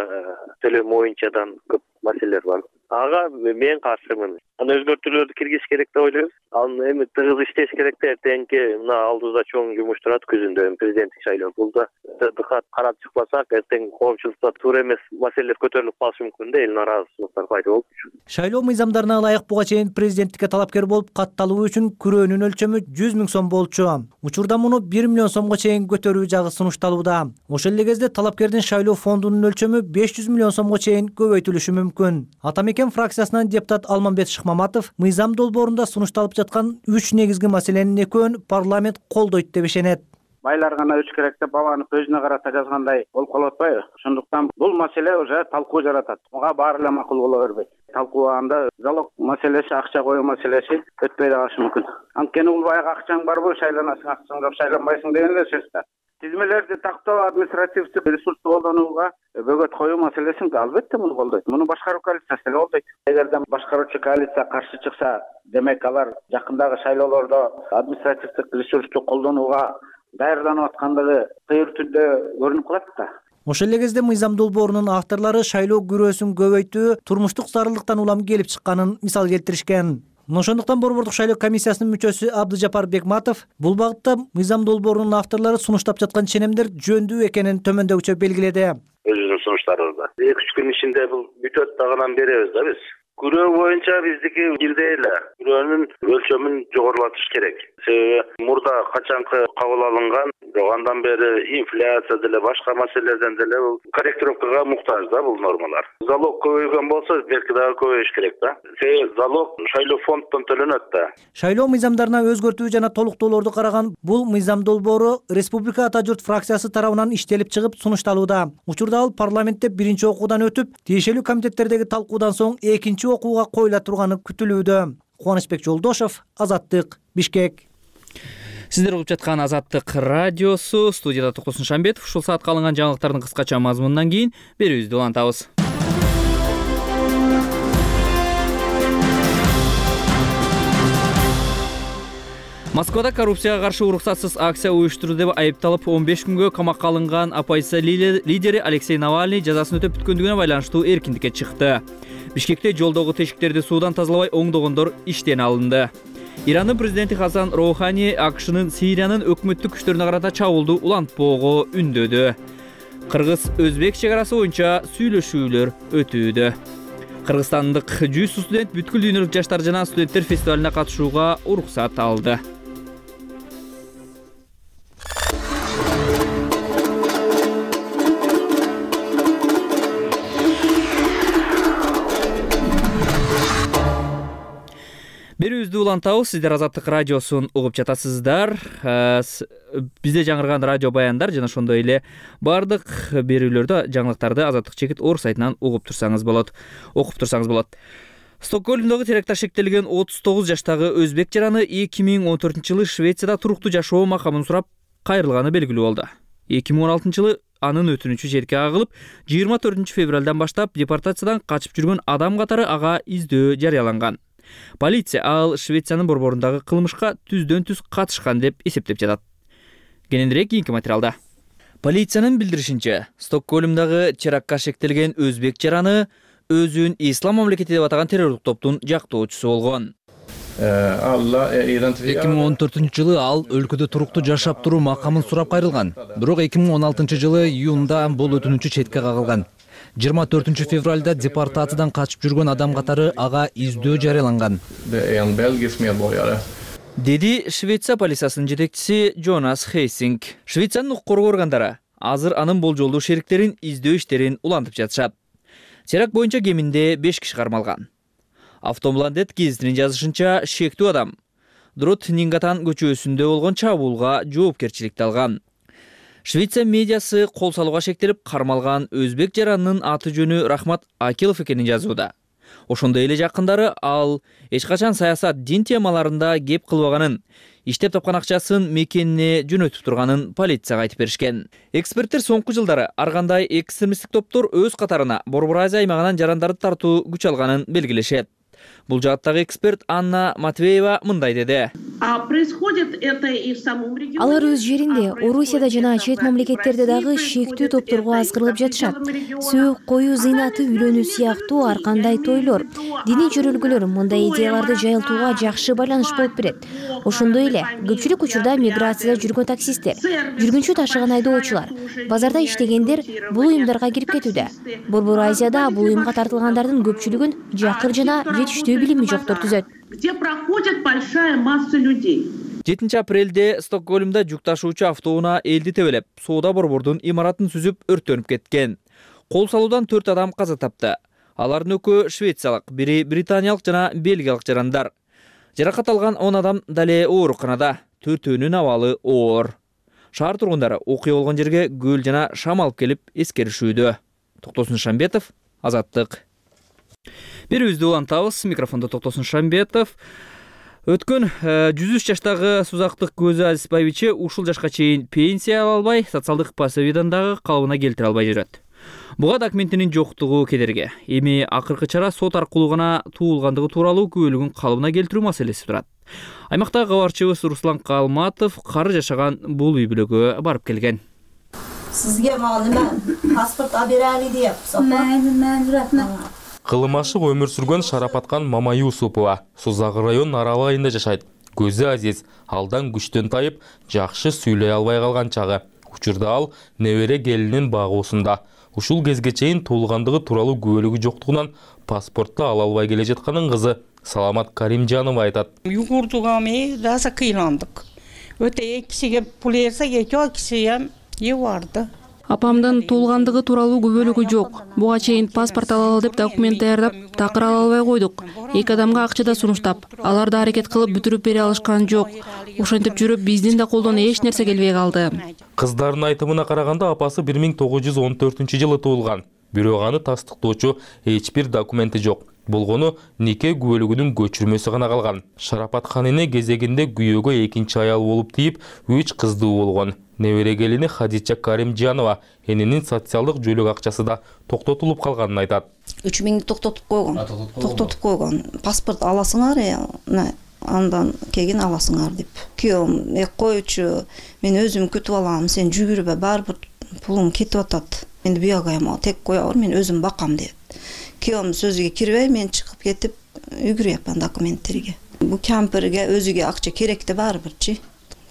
S14: төлөм боюнчадан көп маселелер бар. Ага мен каршымын. Аны өзгөртүүлөрдү киргизиш керек деп ойлойм. Аны эми тыгыз иштеш керек да, эртеңки мына алдыбызда чоң жумуш турат күзүндө президенттик шайлоо. Булда дыкат карап чыкпасак, эртең коомчулукта туура эмес маселелер көтөрүлүп калышы мүмкүн да, эл нааразычылыктар пайда болуп.
S12: Шайлоо мыйзамдарына ылайык буга чейин президенттикке талапкер болуп катталуу үчүн күрөөнүн өлчөмү жүз миң сом болчу. Учурда муну бир миллион сомго чейин көтөрүү жагы сунушталууда. Ошол эле кезде талапкердин шайлоо фондунун өлчөмү беш жүз миллион сомго чейин көбөйтүлүшү мүмкүн. Атамекен фракциясынан депутат Алмамбет Шыкмаматов мыйзам долбоорунда сунушталып жаткан үч негизги маселенин экөөнү парламент колдойт деп ишенет.
S15: Байлар гана өч керек деп бабаны көзүнө карата жазгандай болуп калып атпайбы? Ошондуктан бул маселе уже талкуу жаратат. Буга баары эле макул боло бербейт. Талкууганда залог маселеси, акча коюу маселеси өтпөй да калышы мүмкүн. Анткени бул баягы акчаң барбы, шайланасың, акчаң жок, шайланбайсың деген эле сөз да. Тизмелерди тактоо, административдик ресурсту колдонууга бөгөт коюу маселесин албетте муну колдойт. Муну башкаруу коалициясы эле колдойт. Эгерде башкаруучу коалиция каршы чыкса, демек алар жакындагы шайлоолордо административдик ресурсту колдонууга даярданып аткандыгы тыйыр түрдө көрүнүп калат да.
S12: Ошол эле кезде мыйзам долбоорунун авторлору шайлоо күрөөсүн көбөйтүү турмуштук зарылдыктан улам келип чыкканын мисал келтиришкен. Ошондуктан Борбордук шайлоо комиссиясынын мүчөсү Абдыжапар Бекматов бул багытта мыйзам долбоорунун авторлору сунуштап жаткан ченемдер жөндүү экенин төмөндөгүчө белгиледи.
S14: Өзүнүн сунуштарыбызда эки үч күн ичинде бул бүтөт дагынан беребиз да биз. Күрөө боюнча биздики бирдей эле. Күрөөнүн өлчөмүн жогорулатыш керек. Себеби мурда качанкы кабыл алынган, андан бери инфляция деле башка маселелерден деле бул корректировкага муктаж да бул нормалар. Залог көбөйгөн болсо, белки дагы көбөйүш керек да. Себеби залог шайлоо фонддон төлөнөт да.
S12: Шайлоо мыйзамдарына өзгөртүү жана толуктоолорду караган бул мыйзам долбоору Республика Ата журт фракциясы тарабынан иштелип чыгып сунушталууда. Учурда ал парламентте биринчи окуудан өтүп, тиешелүү комитеттердеги талкуудан соң экинчи окууга коюла турганы күтүлүүдө. Кубанычбек Жолдошов, Азаттык, Бишкек.
S1: Сиздер угуп жаткан Азаттык радиосу, студияда Токтосун Шамбетов. Ушул саатка алынган жаңылыктардын кыскача мазмунунан кийин берүүбүздү улантабыз. Москвада коррупцияга каршы уруксатсыз акция уюштурду деп айыпталып он беш күнгө камакка алынган оппозиция лидери Алексей Навальный жазасын өтөп бүткөндүгүнө байланыштуу эркиндикке чыкты. Бишкекте жолдогу тешиктерди суудан тазалабай оңдогондор иштен алынды. Ирандын президенти Хасан Роухани АКШнын Сириянын өкмөттүк күчтөрүнө карата чабуулду улантпоого үндөдү. Кыргыз-өзбек чек арасы боюнча сүйлөшүүлөр өтүүдө. Кыргызстандык жүз студент бүткүл дүйнөлүк жаштар жана студенттер фестивалына катышууга уруксат алды. Берүүбүздү улантабыз. Сиздер Азаттык радиосун угуп жатасыздар. Бизде жаңырган радио баяндар жана ошондой эле бардык берүүлөрдү, жаңылыктарды Азаттык чекит орг сайтынан угуп турсаңыз болот, окуп турсаңыз болот. Стокгольмдогу теракта шектелген отуз тогуз жаштагы өзбек жараны эки миң он төртүнчү жылы Швецияда туруктуу жашоо макамын сурап кайрылганы белгилүү болду. эки миң он алтынчы жылы анын өтүнүчү четке кагылып, жыйырма төртүнчү февралдан баштап депортациядан качып жүргөн адам катары ага издөө жарыяланган. Полиция ал Швециянын борборундагы кылмышка түздөн түз катышкан деп эсептеп жатат. Кененирээк кийинки материалда. Полициянын билдиришинче, Стокгольмдагы терактка шектелген өзбек жараны өзүн Ислам мамлекети деп атаган террорлук топтун жактоочусу болгон.
S16: эки миң он төртүнчү жылы ал өлкөдө туруктуу жашап туруу макамын сурап кайрылган. Бирок эки миң он алтынчы жылы июнда бул өтүнүчү четке кагылган. жыйырма төртүнчү февралда депортациядан качып жүргөн адам катары ага издөө жарыяланган.
S1: Деди Швеция полициясынын жетекчиси Джонас Хейсинг. Швециянын укук коргоо органдары азыр анын болжолдуу шериктерин издөө иштерин улантып жатышат. Теракт боюнча кеминде беш киши кармалган. Автомландет гезитинин жазышынча, шектүү адам Дрот Нингатан көчөсүндө болгон чабуулга жоопкерчиликти алган. Швеция медиасы кол салууга шектелип, кармалган өзбек жаранынын аты жөнү Рахмат Акилов экенин жазууда. Ошондой эле жакындары ал эч качан саясат, дин темаларында кеп кылбаганын, иштеп тапкан акчасын мекенине жөнөтүп турганын полицияга айтып беришкен. Эксперттер соңку жылдары ар кандай экстремисттик топтор өз катарына Борбор Азия аймагынан жарандарды тартуу күч алганын белгилешет. Бул жааттагы эксперт Анна Матвеева мындай деди.
S17: Алар өз жеринде, Орусияда жана чет мамлекеттерде дагы шектүү топторго азгырылып жатышат. Сөөк, коюу зыйнаты, үйлөнүү сыяктуу ар кандай тойлор, диний жөрөлгөлөр мындай идеяларды жайылтууга жакшы байланыш болуп берет. Ошондой эле көпчүлүк учурда миграцияда жүргөн таксисттер, жүргүнчү ташыган айдоочулар, базарда иштегендер бул уюмдарга кирип кетүүдө. Борбор Азияда бул уюмга тартылгандардын көпчүлүгүн жакыр жана жетиштүү билими жоктор түзөт.
S1: жетинчи апрелде Стокгольмда жүк ташуучу автоунаа элди тебелеп, соода борбордун имаратын сүзүп өрттөнүп кеткен. Кол салуудан төрт адам каза тапты. Алардын экөө швециялык, бири британиялык жана бельгиялык жарандар. Жаракат алган он адам дале ооруканада, төртөөнүн абалы оор. Шаар тургундары окуя болгон жерге көл жана шам алып келип эскеришүүдө. Токтосун Шамбетов, Азаттык. Берүүбүздү улантабыз. Микрофондо Токтосун Шамбетов. Өткөн жүз үч жаштагы Сузактык Көзү Азизбаевиче ушул жашка чейин пенсия ала албай, социалдык пособиядан дагы калыбына келтире албай жүрөт. Буга документинин жоктугу кедерги. Эми акыркы чара сот аркылуу гана туулгандыгы тууралуу күбөлүгүн калыбына келтирүү маселеси турат. Аймактагы кабарчыбыз Руслан Калматов кары жашаган бул үй бүлөгө барып келген.
S18: Сизге мага неме паспорт алып берели деп. Мен мен рахмат.
S19: Кылымашык өмүр сүргөн Шарапаткан Мама Юсупова Сузагы районунун Арал айында жашайт. Көзү азиз, алдан күчтөн тайып, жакшы сүйлөй албай калган чагы. Учурда ал небере келинин багуусунда. Ушул кезге чейин туулгандыгы тууралуу күбөлүгү жоктугунан паспортду ала албай келе жатканын кызы Саламат Каримжанова айтат.
S20: Югурдуга эми раза кыйландык. Өтө кишиге пул берсек, эки киши эм юварды.
S21: Апамдын туулгандыгы тууралуу күбөлүгү жок. Буга чейин паспорт алалы деп документ даярдап, такыр ала албай койдук. Эки адамга акча да сунуштап, алар да аракет кылып бүтүрүп бере алышкан жок. Ошентип жүрүп, биздин да колдон эч нерсе келбей калды.
S19: Кыздардын айтымына караганда апасы бир миң тогуз жүз он төртүнчү жылы туулган. Бирок аны тастыктоочу эч бир документи жок. Болгону нике күбөлүгүнүн көчүрмөсү гана калган. Шарапаткан эне кезегинде күйөөгө экинчи аял болуп тийип, үч кыздуу болгон. Небере келини Хадича Каримжанова эненин социалдык жөлөк акчасы да токтотулуп калганын айтат.
S22: үч миңди токтотуп койгон. Токтотуп койгон. Паспорт аласыңар, андан кийин аласыңар деп. Күйөөм эк койчу, мен өзүм күтүп алам, сен жүгүрбө, барбыр пулуң кетип атат. Мен бuyага эми тек кое бер, мен өзүм бакам деп. Күйөөм сөзүгө кирбей, мен чыгып кетип үгүрөпмүн документтерге. Бу кемперге өзүгө акча керек да барбырчы.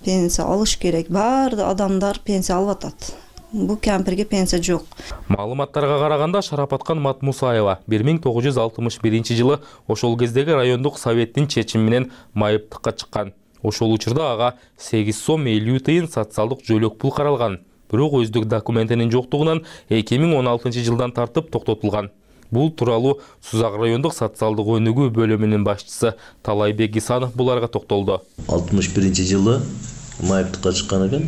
S22: Пенсия алыш керек. Бар адамдар пенсия алып атат. Бу кемперге пенсия жок.
S19: Маалыматтарга караганда Шарапаткан Матмусаева бир миң тогуз жүз алтымыш биринчи жылы ошол кездеги райондук советтин чечими менен майыптыкка чыккан. Ошол учурда ага сегиз сом элүү тыйын социалдык жөлөк пул каралган. Бирок өздүк документинин жоктугунан эки миң он алтынчы жылдан тартып токтотулган. Бул тууралуу Сузак райондук социалдык өнүгүү бөлүмүнүн башчысы Талайбек Исанов буларга токтолду.
S4: алтымыш биринчи жылы майыптыкка чыккан экен.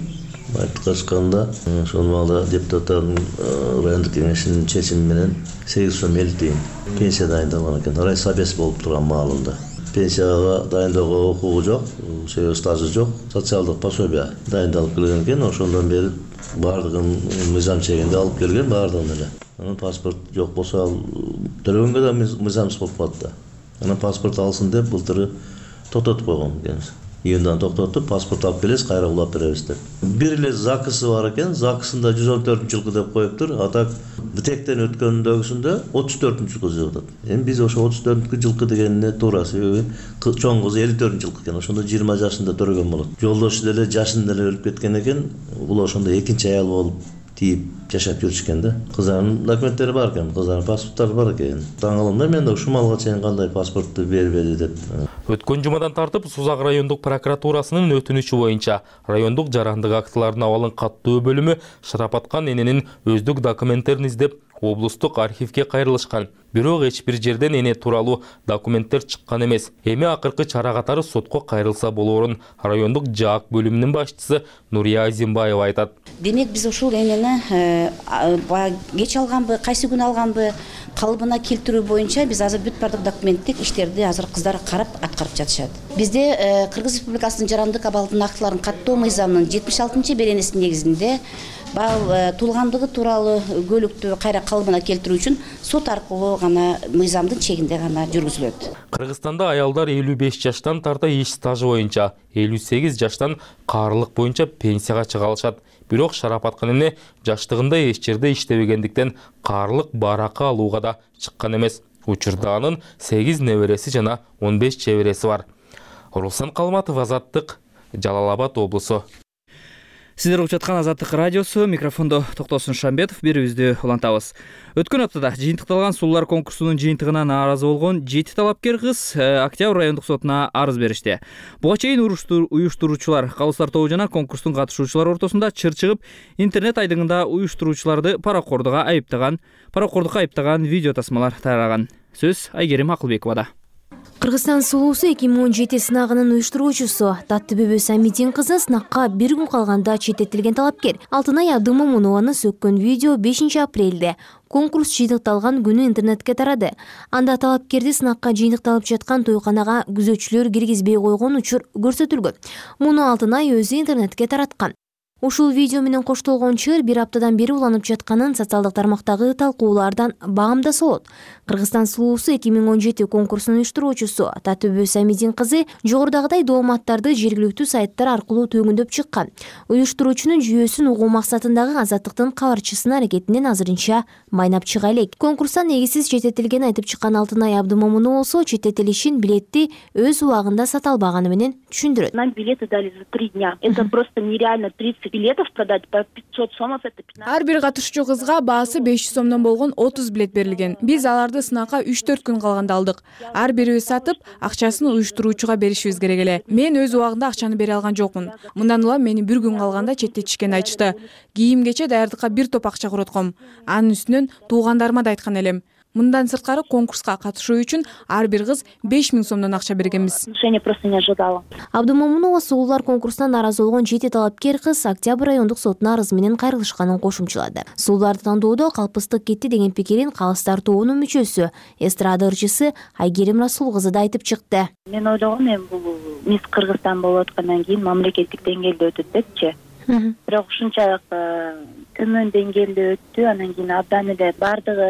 S4: Майыптыкка чыкканда ошол маалда депутаттардын райондук кеңешинин чечими менен сегиз сом элүү тыйын пенсия дайындалган экен. Райсобес болуп турган маалында. Пенсияга дайындоого укугу жок, себеби стажы жок, социалдык пособие дайындалып келген экен. Ошондон бери баардыгын мыйзам чегинде алып келген баардыгын эле. Анан паспорт жок болсо ал төлөгөнгө да мыйзамсыз болуп калат да. Анан паспорт алсын деп былтыры токтотуп койгон экенбиз. Июндан токтотуп, паспорт алып келесиз, кайра улап беребиз деп. Бир эле закысы бар экен, закысында жүз он төртүнчү жылкы деп коюптур. А так битектен өткөндөгүсүндө отуз төртүнчү жылкы деп атат. Эми биз ошо отуз төртүнчү жылкы дегенине туура, себеби чоң кызы элүү төртүнчү жылкы экен. Ошондо жыйырма жашында төрөгөн болот. Жолдошу деле жашында эле өлүп кеткен экен. Бул ошондо экинчи аял болуп тийип жашап жүрүшкөн да. Кыздарынын документтери бар экен, кыздарынын паспорттары бар экен. Таң калам да мен да ушул малга чейин кандай паспортты бербеди деп.
S19: Өткөн жумадан тартып Сузак райондук прокуратурасынын өтүнүчү боюнча райондук жарандык актылардын абалын каттоо бөлүмү Шарапаткан эненин өздүк документтерин издеп облустук архивге кайрылышкан. Бирок эч бир жерден эне тууралуу документтер чыккан эмес. Эми акыркы чара катары сотко кайрылса болоорун райондук жаак бөлүмүнүн башчысы Нурия Азимбаева айтат.
S5: Демек биз ушул энени кеч алганбы, кайсы күнү алганбы калыбына келтирүү боюнча биз азыр бүт бардык документтик иштерди азыр кыздар карап аткарып жатышат. Бизде Кыргыз Республикасынын жарандык абалдын актыларын каттоо мыйзамынын жетимиш алтынчы беренесинин негизинде бал туулгандыгы тууралуу көлүктү кайра калыбына келтирүү үчүн сот аркылуу гана мыйзамдын чегинде гана жүргүзүлөт.
S19: Кыргызстанда аялдар элүү беш жаштан тарта иш стажы боюнча, элүү сегиз жаштан каарылык боюнча пенсияга чыга алышат. Бирок Шарапаткан эне жаштыгында эч жерде иштебегендиктен каарылык баракы алууга да чыккан эмес. Учурда анын сегиз небереси жана он беш чебереси бар. Руслан Калматов, Азаттык, Жалал Абад облусу.
S1: Сиздер угуп жаткан Азаттык радиосу, микрофондо Токтосун Шамбетов, берүүбүздү улантабыз. Өткөн аптада жыйынтыкталган сулуулар конкурсунун жыйынтыгына нааразы болгон жети талапкер кыз Октябрь райондук сотуна арыз беришти. Буга чейин уюштуруучулар калыстар тобу жана конкурстун катышуучулары ортосунда чыр чыгып, интернет айдыңында уюштуруучуларды паракордуга айыптаган, паракордукка айыптаган видео тасмалар тараган. Сөз Айгерим Акылбековада.
S17: Кыргызстан сулуусу эки миң он жети сынагынын уюштуруучусу Таттыбөбө Самидин кызы сынакка бир күн калганда четтетилген талапкер Алтынай Абдымомунованы сөккөн видео бешинчи апрелде конкурс жыйынтыкталган күнү интернетке тарады. Анда талапкерди сынакка жыйынтыкталып жаткан тойканага күзөтчүлөр киргизбей койгон учур көрсөтүлгөн. Муну Алтынай өзү интернетке тараткан. Ушул видео менен коштолгон чыр бир аптадан бери уланып жатканын социалдык тармактагы талкуулардан баамда болот. Кыргызстан сулуусу эки миң он жети конкурсунун уюштуруучусу Таттыбөбө Самидин кызы жогорудагыдай дооматтарды жергиликтүү сайттар аркылуу төгүндөп чыккан. Уюштуруучунун жүйөсүн угуу максатындагы Азаттыктын кабарчысынын аракетинен азырынча майнап чыга элек. Конкурстан негизсиз четтетилгенин айтып чыккан Алтынай Абдымомунова болсо четтетилишин билетти өз убагында сата албаганы менен түшүндүрөт.
S23: Нам билеты дали за три дня. Это просто нереально. тридцать билетов продать по пятьсот сомов, это пятнадцать.
S24: Ар бир катышуучу кызга баасы беш жүз сомдон болгон отуз билет берилген. Биз аларды сынакка үч төрт күн калганда алдык. Ар бирибиз сатып, акчасын уюштуруучуга беришибиз керек эле. Мен өз убагында акчаны бере алган жокмун. Мындан улам мени бир күн калганда четтетишкенин айтышты. Кийим кече даярдыкка бир топ акча коротком. Анын үстүнөн туугандарыма да айткан элем. Мындан сырткары конкурска катышуу үчүн ар бир кыз беш миң сомдон акча бергенбиз.
S23: Решение просто не ожидала.
S17: Абдымомунова сулуулар конкурсунан нааразы болгон жети талапкер кыз Октябрь райондук сотуна арыз менен кайрылышканын кошумчалады. Сулууларды тандоодо калпыстык кетти деген пикирин калыстар тобунун мүчөсү, эстрада ырчысы Айгерим Расул кызы да айтып чыкты.
S23: Мен ойлогом эми бул Мисс Кыргызстан болуп аткандан кийин мамлекеттик деңгээлде өтөт депчи. Бирок ушунчалык төмөн деңгээлде өттү, анан кийин абдан эле баардыгы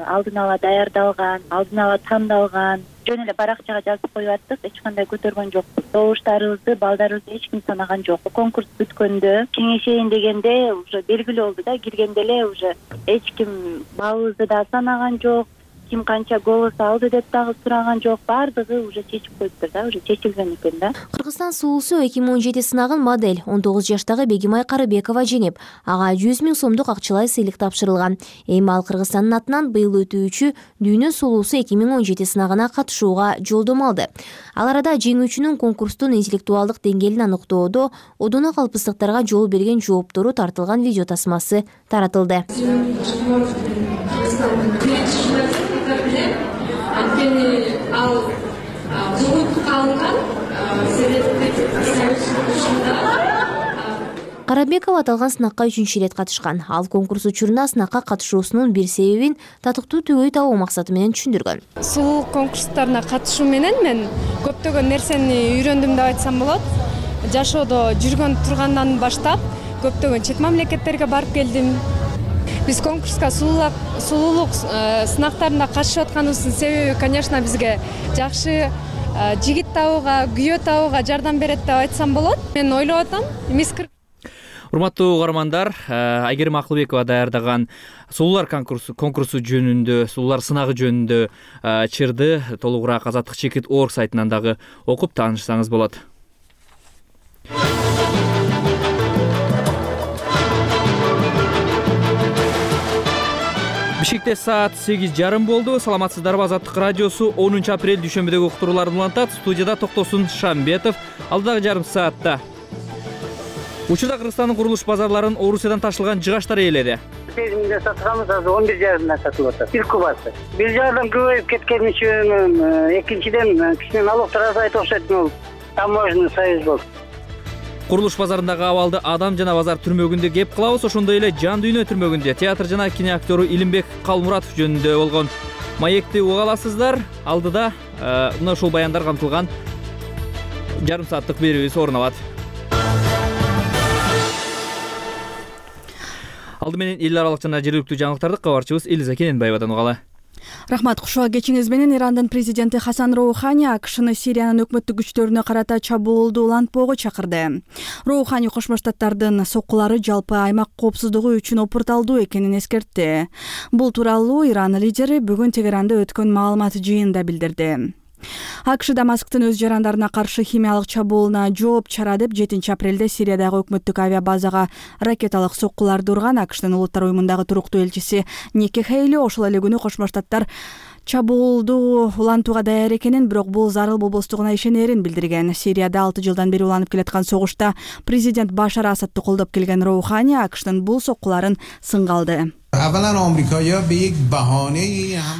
S23: алдын ала даярдалган, алдын ала тандалган. Жөн эле баракчага жазып коюп аттык, эч кандай көтөргөн жокпуз. Добуштарыбызды, балдарыбызды эч ким санаган жок. Конкурс бүткөндө кеңешейин дегенде уже белгилүү болду да, киргенде эле уже эч ким балыбызды да санаган жок. Ким канча голос алды деп дагы сураган жок. Бардыгы уже чечип коюптур да, уже чечилген экен да.
S17: Кыргызстан сулуусу эки миң он жети сынагын модель он тогуз жаштагы Бегимай Карыбекова жеңип, ага жүз миң сомдук акчалай сыйлык тапшырылган. Эми ал Кыргызстандын атынан быйыл өтүүчү Дүйнө сулуусу эки миң он жети сынагына катышууга жолдомо алды. Ал арада жеңүүчүнүн конкурстун интеллектуалдык деңгээлин аныктоодо одоно калпыстыктарга жол берген жооптору тартылган видео тасмасы таратылды.
S3: анткени ал жогонтукка алынган советтик союз.
S17: Карабекова аталган сынакка үчүнчү ирет катышкан. Ал конкурс учуруна сынакка катышуусунун бир себебин татыктуу түгөй табуу максаты менен түшүндүргөн.
S7: Сулуулук конкурстарына катышуу менен мен көптөгөн нерсени үйрөндүм деп айтсам болот. Жашоодо жүргөн тургандан баштап көптөгөн чет мамлекеттерге барып келдим. Биз конкурска сулуулук сынактарына катышып атканыбыздын себеби, конечно, бизге жакшы жигит табууга, күйөө табууга жардам берет деп айтсам болот. Мен ойлоп атам, мисс
S1: Урматтуу угармандар, Айгерим Акылбекова даярдаган сулуулар конкурсу жөнүндө, сулуулар сынагы жөнүндө чырды толугураак азаттык чекит орг сайтынан дагы окуп таанышсаңыз болот. Бишкекте саат сегиз жарым болду. Саламатсыздарбы? Азаттык радиосу онунчу апрель дүйшөмбүдөгү уктурууларды улантат. Студияда Токтосун Шамбетов. Алдагы жарым саатта учурда Кыргызстандын курулуш базарларын Орусиядан ташылган жыгачтар ээледи.
S8: сегиз миңде сатканбыз, азыр он бир жарымдан сатылып атат. Бир кубасы. Бир жагдан көбөйүп кеткени үчүн, экинчиден кичине налогдор азайып окшойт, бул таможенный союз болду.
S1: Курулуш базарындагы абалды Адам жана базар түрмөгүндө кеп кылабыз. Ошондой эле Жан дүйнө түрмөгүндө театр жана кино актеру Илимбек Калмуратов жөнүндө болгон маекти уга аласыздар. Алдыда мына ушул баяндар камтылган жарым сааттык берүүбүз орун алат. Алды менен эл аралык жана жергиликтүү жаңылыктарды кабарчыбыз Элиза Кененбаевадан угалы.
S9: Рахмат. Кушуга кечиңиз менен Ирандын президенти Хасан Роухани АКШны Сириянын өкмөттүк күчтөрүнө карата чабуулду улантпоого чакырды. Роухани Кошмо Штаттардын соккулары жалпы аймак коопсуздугу үчүн опурталдуу экенин эскертти. Бул тууралуу Иран лидери бүгүн Тегеранда өткөн маалымат жыйынында билдирди. АКШ Дамасктын өз жарандарына каршы химиялык чабуулуна жооп чара деп жетинчи апрелде Сириядагы өкмөттүк авиабазага ракеталык соккуларды урган. АКШтын Улуттар уюмундагы туруктуу элчиси Ники Хейли ошол эле күнү Кошмо Штаттар чабуулду улантууга даяр экенин, бирок бул зарыл болбостугуна ишенерин билдирген. Сирияда алты жылдан бери уланып келаткан согушта президент Башар Асадты колдоп келген Роухани АКШтын бул соккуларын сынга алды.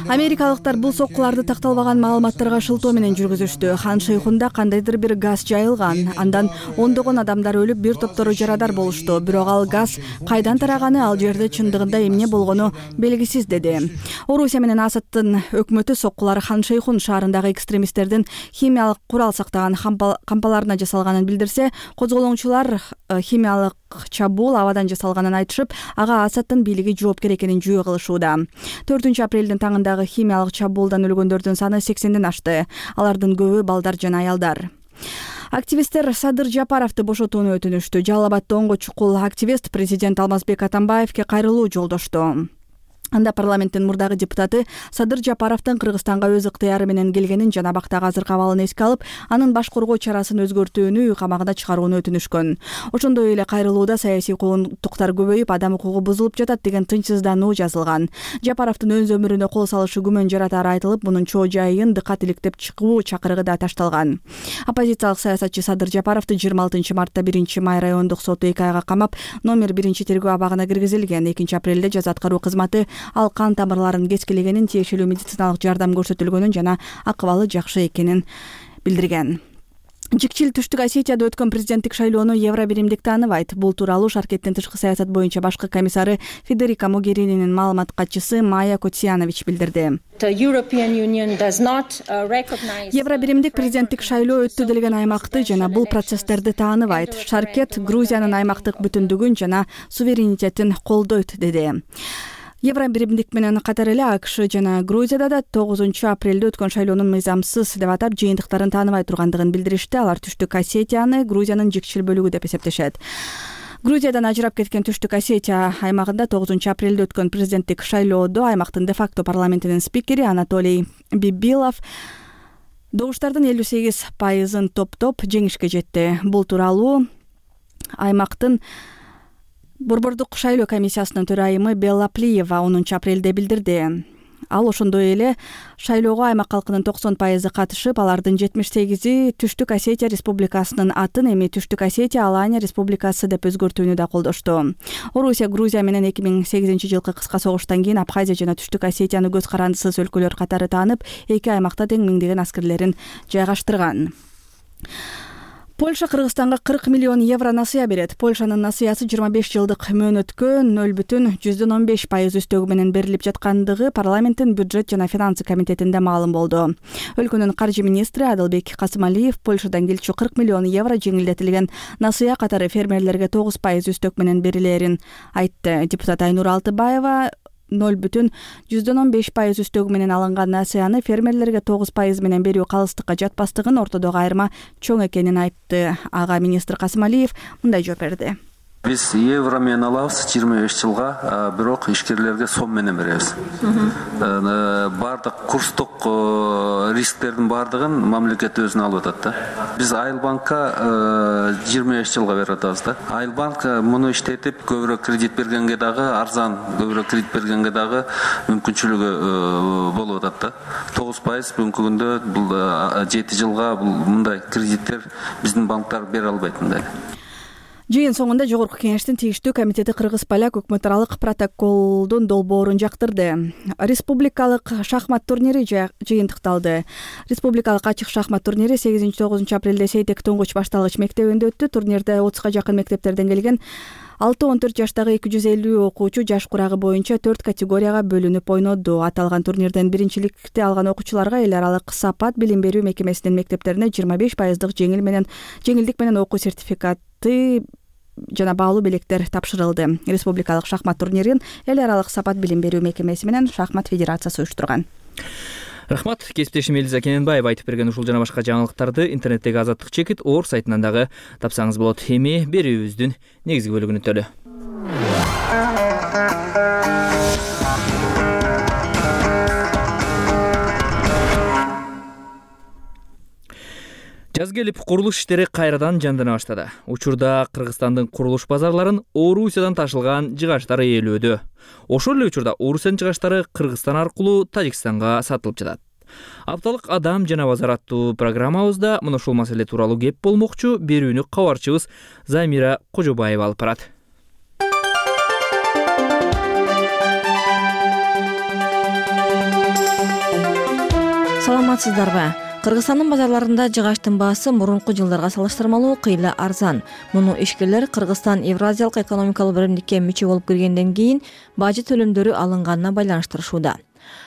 S9: Америкалыктар бул соккуларды такталбаган маалыматтарга шылтоо менен жүргүзүштү. Хан Шейхунда кандайдыр бир газ жайылган. Андан ондогон адамдар өлүп, бир топтору жарадар болушту. Бирок ал газ кайдан тараганы, ал жерде чындыгында эмне болгону белгисиз, деди. Орусия менен Асадтын өкмөтү соккулар Хан Шейхун шаарындагы экстремисттердин химиялык курал сактаган кампаларына жасалганын билдирсе, козголоңчулар химиялык чабуул абадан жасалганын айтышып, ага Асадтын бийлиги жоопкер экенин жүйө кылышууда. төртүнчү апрелдин таңындагы химиялык чабуулдан өлгөндөрдүн саны сексенден ашты. Алардын көбү балдар жана аялдар. Активисттер Садыр Жапаровду бошотууну өтүнүштү. Жалал Абадда онго чукул активист президент Алмазбек Атамбаевке кайрылуу жолдошту. Анда парламенттин мурдагы депутаты Садыр Жапаровдун Кыргызстанга өз ыктыяры менен келгенин жана бактагы азыркы абалын эске алып, анын баш коргоо чарасын өзгөртүүнү, үй камагына чыгарууну өтүнүшкөн. Ошондой эле кайрылууда саясий куугунтуктар көбөйүп, адам укугу бузулуп жатат деген тынчсыздануу жазылган. Жапаровдун өз өмүрүнө кол салышы күмөн жаратары айтылып, мунун чоо жайын дыкат иликтеп чыгуу чакырыгы да ташталган. Оппозициялык саясатчы Садыр Жапаровду жыйырма алтынчы мартта биринчи май райондук соту эки айга камап, номер биринчи тергөө абагына киргизилген. экинчи апрелде жаза аткаруу кызматы ал кан тамырларын кескилегенин, тиешелүү медициналык жардам көрсөтүлгөнүн жана акыбалы жакшы экенин билдирген. Жикчил Түштүк Осетияда өткөн президенттик шайлоону Евро биримдик тааныбайт. Бул тууралуу Шаркеттин тышкы саясат боюнча башкы комиссары Федерика Могерининин маалымат катчысы Майя Котсиянович билдирди. Евро биримдик президенттик шайлоо өттү делген аймакты жана бул процесстерди тааныбайт. Шаркет Грузиянын аймактык бүтүндүгүн жана суверенитетин колдойт, деди. Евро биримдик менен катар эле АКШ жана Грузияда да тогузунчу апрелде өткөн шайлоонун мыйзамсыз деп атап, жыйынтыктарын тааныбай тургандыгын билдиришти. Алар Түштүк Осетияны Грузиянын жикчил бөлүгү деп эсептешет. Грузиядан ажырап кеткен Түштүк Осетия аймагында тогузунчу апрелде өткөн президенттик шайлоодо аймактын де-факто парламентинин спикери Анатолий Бибилов добуштардын элүү сегиз пайызын топтоп жеңишке жетти. Бул тууралуу аймактын Борбордук шайлоо комиссиясынын төрайымы Белла Плиева онунчу апрелде билдирди. Ал ошондой эле шайлоого аймак калкынын токсон пайызы катышып, алардын жетимиш сегизи Түштүк Осетия Республикасынын атын эми Түштүк Осетия Алания Республикасы деп өзгөртүүнү да колдошту. Орусия Грузия менен эки миң сегизинчи жылкы кыска согуштан кийин Абхазия жана Түштүк Осетияны көз карандысыз өлкөлөр катары таанып, эки аймакта тең миңдеген аскерлерин жайгаштырган. Польша Кыргызстанга кырк миллион евро насыя берет. Польшанын насыясы жыйырма беш жылдык мөөнөткө нөл бүтүн жүздөн он беш пайыз үстөгү менен берилип жаткандыгы парламенттин бюджет жана финансы комитетинде маалым болду. Өлкөнүн каржы министри Адылбек Касымалиев Польшадан келчү кырк миллион евро жеңилдетилген насыя катары фермерлерге тогуз пайыз үстөк менен берилерин айтты. Депутат Айнур Алтыбаева нөл бүтүн жүздөн он беш пайыз үстөгү менен алынган насыяны фермерлерге тогуз пайыз менен берүү калыстыкка жатпастыгын, ортодогу айырма чоң экенин айтты. Ага министр Касымалиев мындай жооп берди.
S2: Биз евро менен алабыз жыйырма беш жылга, бирок ишкерлерге сом менен беребиз. Бардык курстук рисктердин бардыгын мамлекет өзүнө алып атат да. Биз Айылбанкка жыйырма беш жылга берип атабыз да. Айылбанк муну иштетип көбүрөөк кредит бергенге дагы арзан, көбүрөөк кредит бергенге дагы мүмкүнчүлүгү болуп атат да. тогуз пайыз бүгүнкү күндө бул жети жылга бул мындай кредиттер биздин банктар бере албайт мындай.
S9: Жыйын соңунда Жогорку Кеңештин тиештүү комитети Кыргыз-Поляк өкмөт аралык протоколдун долбоорун жактырды. Республикалык шахмат турнири жыйынтыкталды. Республикалык ачык шахмат турнири сегизинчи тогузунчу апрелде Сейтек Туңгуч башталгыч мектебинде өттү. Турнирде отузга жакын мектептерден келген алты он төрт жаштагы эки жүз элүү окуучу жаш курагы боюнча төрт категорияга бөлүнүп ойноду. Аталган турнирден биринчиликти алган окуучуларга эл аралык Сапат билим берүү мекемесинин мектептерине жыйырма беш пайыздык жеңил менен жеңилдик менен окуу сертификаты жана баалуу белектер тапшырылды. Республикалык шахмат турнирин эл аралык Сапат билим берүү мекемеси менен шахмат федерациясы уюштурган.
S1: Рахмат, кесиптешим Элиза Кененбаева айтып берген ушул жана башка жаңылыктарды интернеттеги Азаттык чекит Оор сайтынан дагы тапсаңыз болот. Эми берүүбүздүн негизги бөлүгүнө өтөлү. Жаз келип, курулуш иштери кайрадан жандана баштады. Учурда Кыргызстандын курулуш базарларын Орусиядан ташылган жыгачтар ээлөөдө. Ошол эле учурда Орусиянын жыгачтары Кыргызстан аркылуу Тажикстанга сатылып жатат. Апталык Адам жана базар аттуу программабызда мына ушул маселе тууралуу кеп болмокчу. Берүүнү кабарчыбыз Замира Кожобаева алып барат.
S6: Саламатсыздарбы? Кыргызстандын базарларында жыгачтын баасы мурунку жылдарга салыштырмалуу кыйла арзан. Муну ишкерлер Кыргызстан Евразиялык экономикалык биримдикке мүчө болуп киргенден кийин бажы төлөмдөрү алынганына байланыштырышууда.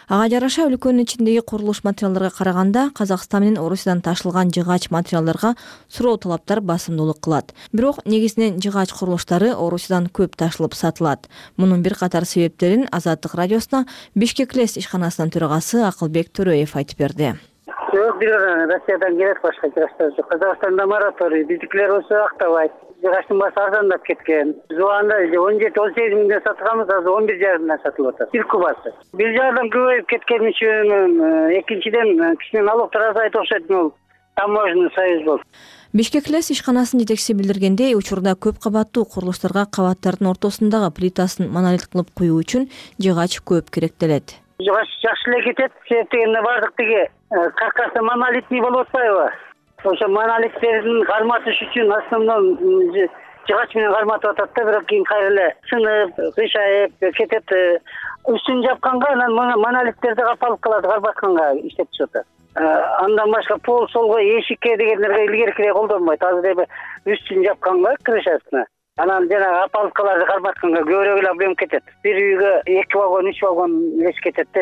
S6: Ага жараша өлкөнүн ичиндеги курулуш материалдарга караганда Казакстан менен Орусиядан ташылган жыгач материалдарга суроо талаптар басымдуулук кылат. Бирок негизинен жыгач курулуштары Орусиядан көп ташылып сатылат. Мунун бир катар себептерин Азаттык радиосуна Бишкек Лес ишканасынын төрагасы Акылбек Төрөев айтып берди.
S8: Yok, bir Rusya'dan gerek başka jıgaçlar yok. Kazakistan'da moratoriy, bizimkiler olsa aktavayt. Jıgaçtın bası arzandap ketken. Biz o anda on yedi on sekiz minden satılgamız, az on bir jarımdan satılıp atar. Bir kubası. Bir jardan köpeyip ketken için, ikinciden kişinin aloqtar azayt okşaytın ol. Таможенный союз болду.
S6: Бишкек Лес ишканасынын жетекчиси билдиргендей, учурда көп кабаттуу курулуштарга кабаттардын ортосундагы плитасын монолит кылып куюу үчүн жыгач көп керектелет.
S8: Жыгач жакшы эле кетет, себеп дегенде бардык тиги каркасы монолитный болуп атпайбы? Ошо монолиттердин карматыш үчүн основном жыгач менен карматып атат да, бирок кийин кайра эле сынып, кыйшайып кетет. Үстүн жапканга анан монолиттерди капалып калат, карбатканга иштетишип атат. Андан башка пол солго эшикке дегендерге илгеркирээк колдонбойт. Азыр эми үстүн жапканга крышасына. Анан жана апалкаларды карматканга көбүрөөк эле объем кетет. Бир үйгө эки вагон, үч вагон леш кетет да.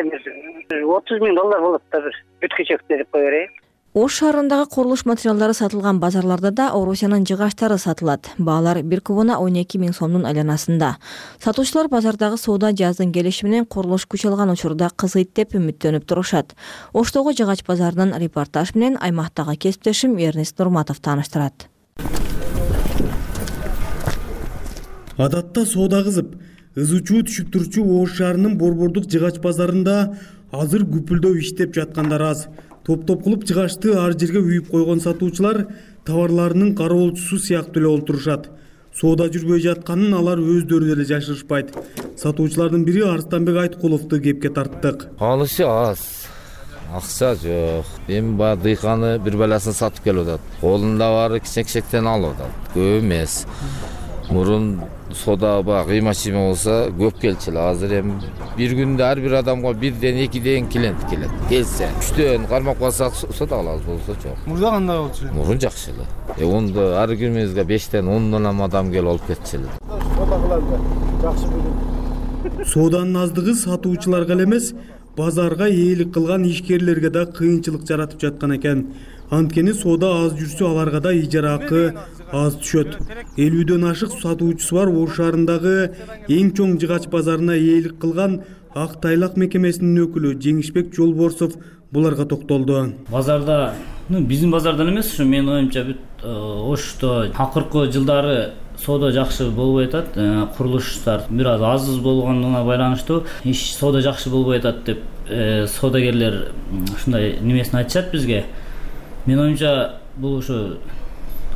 S8: отуз миң доллар болот да бир бүткүчөктө деп кое берейин.
S6: Ош шаарындагы курулуш материалдары сатылган базарларда да Орусиянын жыгачтары сатылат. Баалар бир кубуна он эки миң сомдун айланасында. Сатуучулар базардагы соода жаздын келиши менен курулуш күч алган учурда кызыйт деп үмүттөнүп турушат. Оштогу жыгач базарынын репортаж менен аймактагы кесиптешим Эрнест Нурматов тааныштырат.
S10: Адатта соода кызып, ызычуу түшүп турчу Ош шаарынын борбордук жыгач базарында азыр күпүлдөп иштеп жаткандар аз. Топ-топ кылып жыгачты ар жерге үйүп койгон сатуучулар товарларынын кароолчусу сыяктуу эле олтурушат. Соода жүрбөй жатканын алар өздөрү деле жашырышпайт. Сатуучулардын бири Арстанбек Айткуловду кепке тарттык.
S11: Алышы аз, акча жок. Эми баягы дыйканы бир баласын сатып келип атат. Колунда баары кичек-кичектен алып атат. Көп эмес. Мурун сода баягы кыйма-чыйма болсо көп келчү эле. Азыр эми бир күндө ар бир адамга бирден экиден клиент келет. Келсе үчтөн кармап калсак сода алабыз, болсо жок.
S13: Мурда кандай болчу?
S11: Мурун жакшы эле. Э онда ар күнүбүзгө бештен ондон адам келип алып кетчү эле.
S13: Сода кылганда жакшы билем.
S10: Соданын аздыгы сатуучуларга эле эмес, базарга ээлик кылган ишкерлерге да кыйынчылык жаратып жаткан экен. Анткени сода аз жүрсө аларга да ижара акы аз түшөт. элүүдөн ашык сатуучусу бар Ош шаарындагы эң чоң жыгач базарына ээлик кылган Ак Тайлак мекемесинин өкүлү Жеңишбек Жолборсов буларга токтолду.
S14: Базарда, ну биздин базардан эмес, ушу менин оюмча бүт Ошто акыркы жылдары сода жакшы болбой атат. Курулуштар бир аз аз болгондугуна байланыштуу иш сода жакшы болбой атат деп содагерлер ушундай немесин айтышат бизге. Менин оюмча бул ушу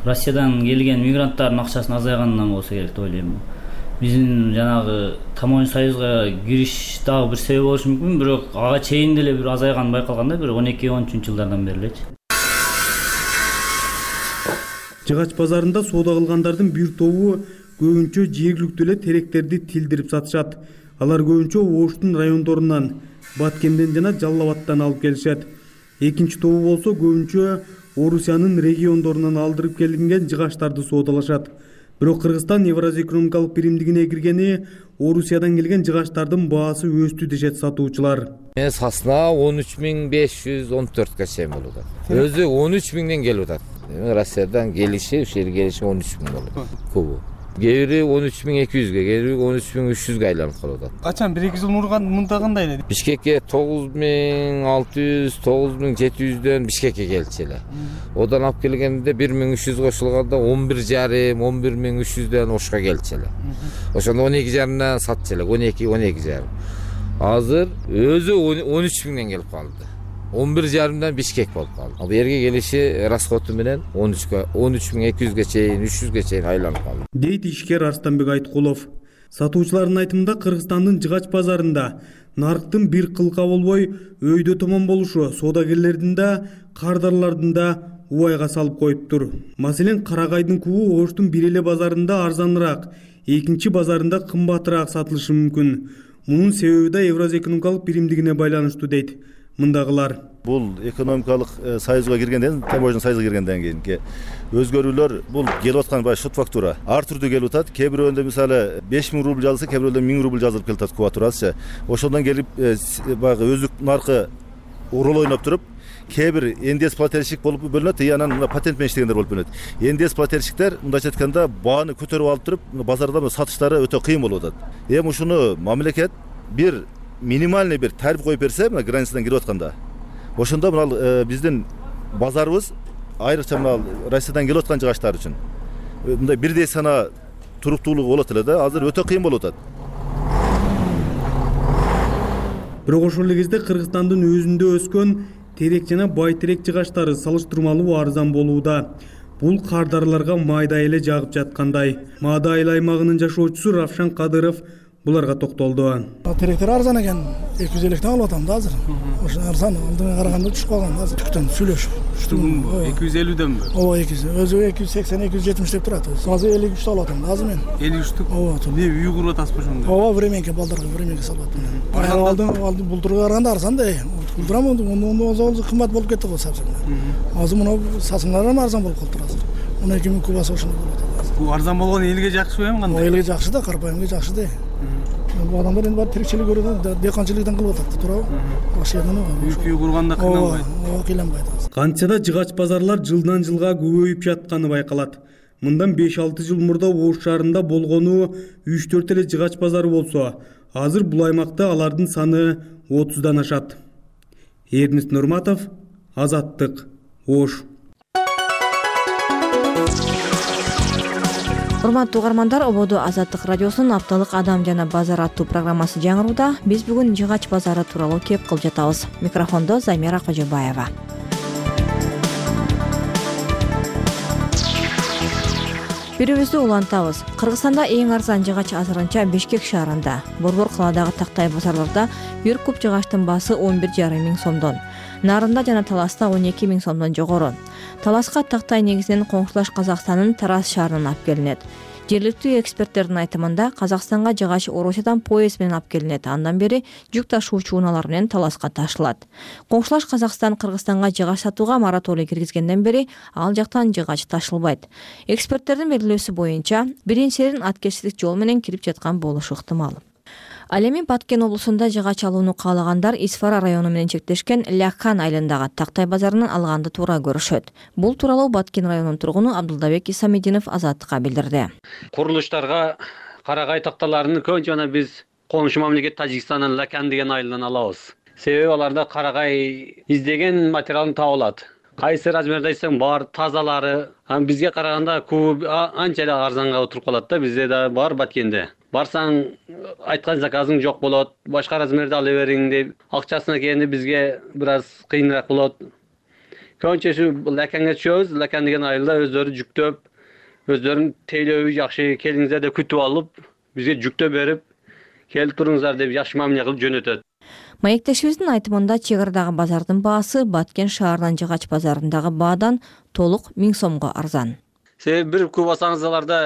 S14: Россиядан келген мигранттардын акчасынын азайганынан болсо керек деп ойлойм. Биздин жанагы Тамоюн союзга кириш дагы бир себеп болушу мүмкүн, бирок ага чейин деле бир азайган байкалганда бир он эки он үчүнчү жылдардан бери элечи.
S10: Жыгач базарында соода кылгандардын бир тобу көбүнчө жергиликтүү эле теректерди тилдирип сатышат. Алар көбүнчө Оштун райондорунан, Баткенден жана Жалал Абадтан алып келишет. Экинчи тобу болсо көбүнчө Орусиянын региондорунан алдырып келинген жыгачтарды соодалашат. Бирок Кыргызстан Евразия экономикалык биримдигине киргени Орусиядан келген жыгачтардын баасы өстү дешет сатуучулар.
S11: Мен сасына он үч миң беш жүз он төрткө чейин болуп атат. Өзү он үч миңден келип атат. Россиядан келиши, ушул жерге келиши он үч миң болот. Көбү. Кээ бири он үч миң эки жүзгө, кээ бири он үч миң үч жүзгө айланып калып атат.
S13: Качан бир эки жыл мурун мында кандай эле?
S11: Бишкекке тогуз миң алты жүз, тогуз миң жети жүздөн Бишкекке келчү эле. Одан алып келгенде бир миң үч жүз кошулганда он бир жарым, он бир миң үч жүздөн Ошко келчү эле. Ошондо он эки жарымдан сатчу эле, он эки, он эки жарым. Азыр өзү он үч миңден келип калды. он бир жарымдан Бишкек болуп калды. Ал жерге келиши расходу менен он үчкө, он үч миң эки жүзгө чейин, үч жүзгө чейин айланып калды.
S10: Дейт ишкер Арстанбек Айткулов. Сатуучулардын айтымында Кыргызстандын жыгач базарында нарыктын бир кылка болбой өйдө томон болушу соодагерлердин да, кардарлардын да убайга салып коюптур. Маселен, карагайдын кубу Оштун бир эле базарында арзаныраак, экинчи базарында кымбатыраак сатылышы мүмкүн. Мунун себеби да Евразия экономикалык биримдигине байланыштуу дейт мындагылар.
S15: Бул экономикалык союзга киргенден, Таможенный союзга киргенден кийинки өзгөрүүлөр бул келип аткан баягы шот фактура ар түрдүү келип атат. Кээ бирөөндөй мисалы беш миң рубль жазылса, кээ бирөөндөй миң рубль жазылып келип атат кубатурасы. Ошондон келип баягы өздүк наркы роль ойноп туруп, кээ бир эн дэ эс плательщик болуп бөлүнөт, и анан патент менен иштегендер болуп бөлүнөт. эн дэ эс плательщиктер мындайча айтканда бааны көтөрүп алып туруп, базарда сатыштары өтө кыйын болуп атат. Эми ушуну мамлекет бир минимальный бир тариф коюп берсе, мына границадан кирип атканда, ошондо мына биздин базарыбыз айрыкча мына Россиядан келип аткан жыгачтар үчүн мындай бирдей сана туруктуулугу болот эле да, азыр өтө кыйын болуп атат.
S10: Бирок ошол эле кезде Кыргызстандын өзүндө өскөн терек жана байтерек жыгачтары салыштырмалуу арзан болууда. Бул кардарларга майдай эле жагып жаткандай. Маада айыл аймагынын жашоочусу Равшан Кадыров буларга токтолду.
S25: Теректер арзан экен, эки жүз электен алып атам да азыр. Ошо арзан, алдыга караганда түшүп калган азыр. Түктөн сүйлөшүп.
S13: эки жүз элүүдөнбү?
S25: Ооба, эки жүз. Өзү эки жүз сексен, эки жүз жетимиш деп турат. Азыр элүү үчтү алып атам да азыр мен.
S13: элүү үчтүк?
S25: Ооба.
S13: Эмне үй куруп атасызбы ошондо?
S25: Ооба, временке балдарга временке салып атам. Алдын алдын бултурга караганда арзан да. Булдурам ондон кымбат болуп кетти го сапсың. Азыр мына сасыңлар да арзан болуп калды азыр. он эки миң кубасы ошондой болот азыр.
S13: Бул арзан болгон элге жакшыбы эми кандай?
S25: Элге жакшы да, карапайымга жакшы да. Бул адамдар эми баары тиричилик көрүп, дыйканчылыктан кылып атат, туурабы? Ошондон
S13: үй курганда кыйланбайт.
S25: Ооба, кыйланбайт.
S10: Кантса да жыгач базарлар жылдан жылга көбөйүп жатканы байкалат. Мындан беш алты жыл мурда Ош шаарында болгону үч төрт эле жыгач базары болсо, азыр бул аймакта алардын саны отуздан ашат. Эрнест Нурматов, Азаттык, Ош.
S6: Урматтуу угармандар, ободу Азаттык радиосунун апталык Адам жана базар аттуу программасы жаңырууда. Биз бүгүн жыгач базары тууралуу кеп кылып жатабыз. Микрофондо Замира Кожобаева. Берүүбүздү улантабыз. Кыргызстанда эң арзан жыгач азырынча Бишкек шаарында. Борбор калаадагы тактай базарларда бир куб жыгачтын баасы он бир жарым миң сомдон, Нарында жана Таласта он эки миң сомдон жогору. Таласка тактай негизинен коңшулаш Казакстандын Тараз шаарынан алып келинет. Жергиликтүү эксперттердин айтымында Казакстанга жыгач Орусиядан поезд менен алып келинет. Андан бери жүк ташуучу унаалар менен Таласка ташылат. Коңшулаш Казакстан Кыргызстанга жыгач сатууга мораторий киргизгенден бери ал жактан жыгач ташылбайт. Эксперттердин белгилөөсү боюнча, биринчиден аткечтик жол менен кирип жаткан болушу ыктымал. Ал эми Баткен облусунда жыгач алууну каалагандар Исфара району менен чектешкен Ляхан айылындагы тактай базарынан алганды туура көрүшөт. Бул тууралуу Баткен районунун тургуну Абдулдабек Исамидинов Азаттыкка билдирди.
S12: Курулуштарга карагай такталарын көбүнчө жана биз коңшу мамлекет Тажикстандан Ляхан деген айылдан алабыз. Себеби аларда карагай издеген материалын таба алат. Кайсы размерде айтсаң бар, тазалары. Бизге караганда куб анча эле арзанга отуруп калат да, бизде да бар Баткенде. Барсаң айткан заказың жок болот, башка размерде ала бериң деп, акчасына келгенде бизге бир аз кыйыныраак болот. Көбүнчөсү Ляханга түшөбүз, Ляхан деген айылда өздөрү жүктөп, өздөрүнүн тейлөөбү жакшы, келиңиздер деп күтүп алып, бизге жүктөп берип, келип туруңуздар деп жакшы мамиле кылып жөнөтөт.
S6: Маектешибиздин айтымында чек арадагы базардын баасы Баткен шаарынан жыгач базарындагы баадан толук миң сомго арзан.
S12: Себеби бир куб алсаңыз аларда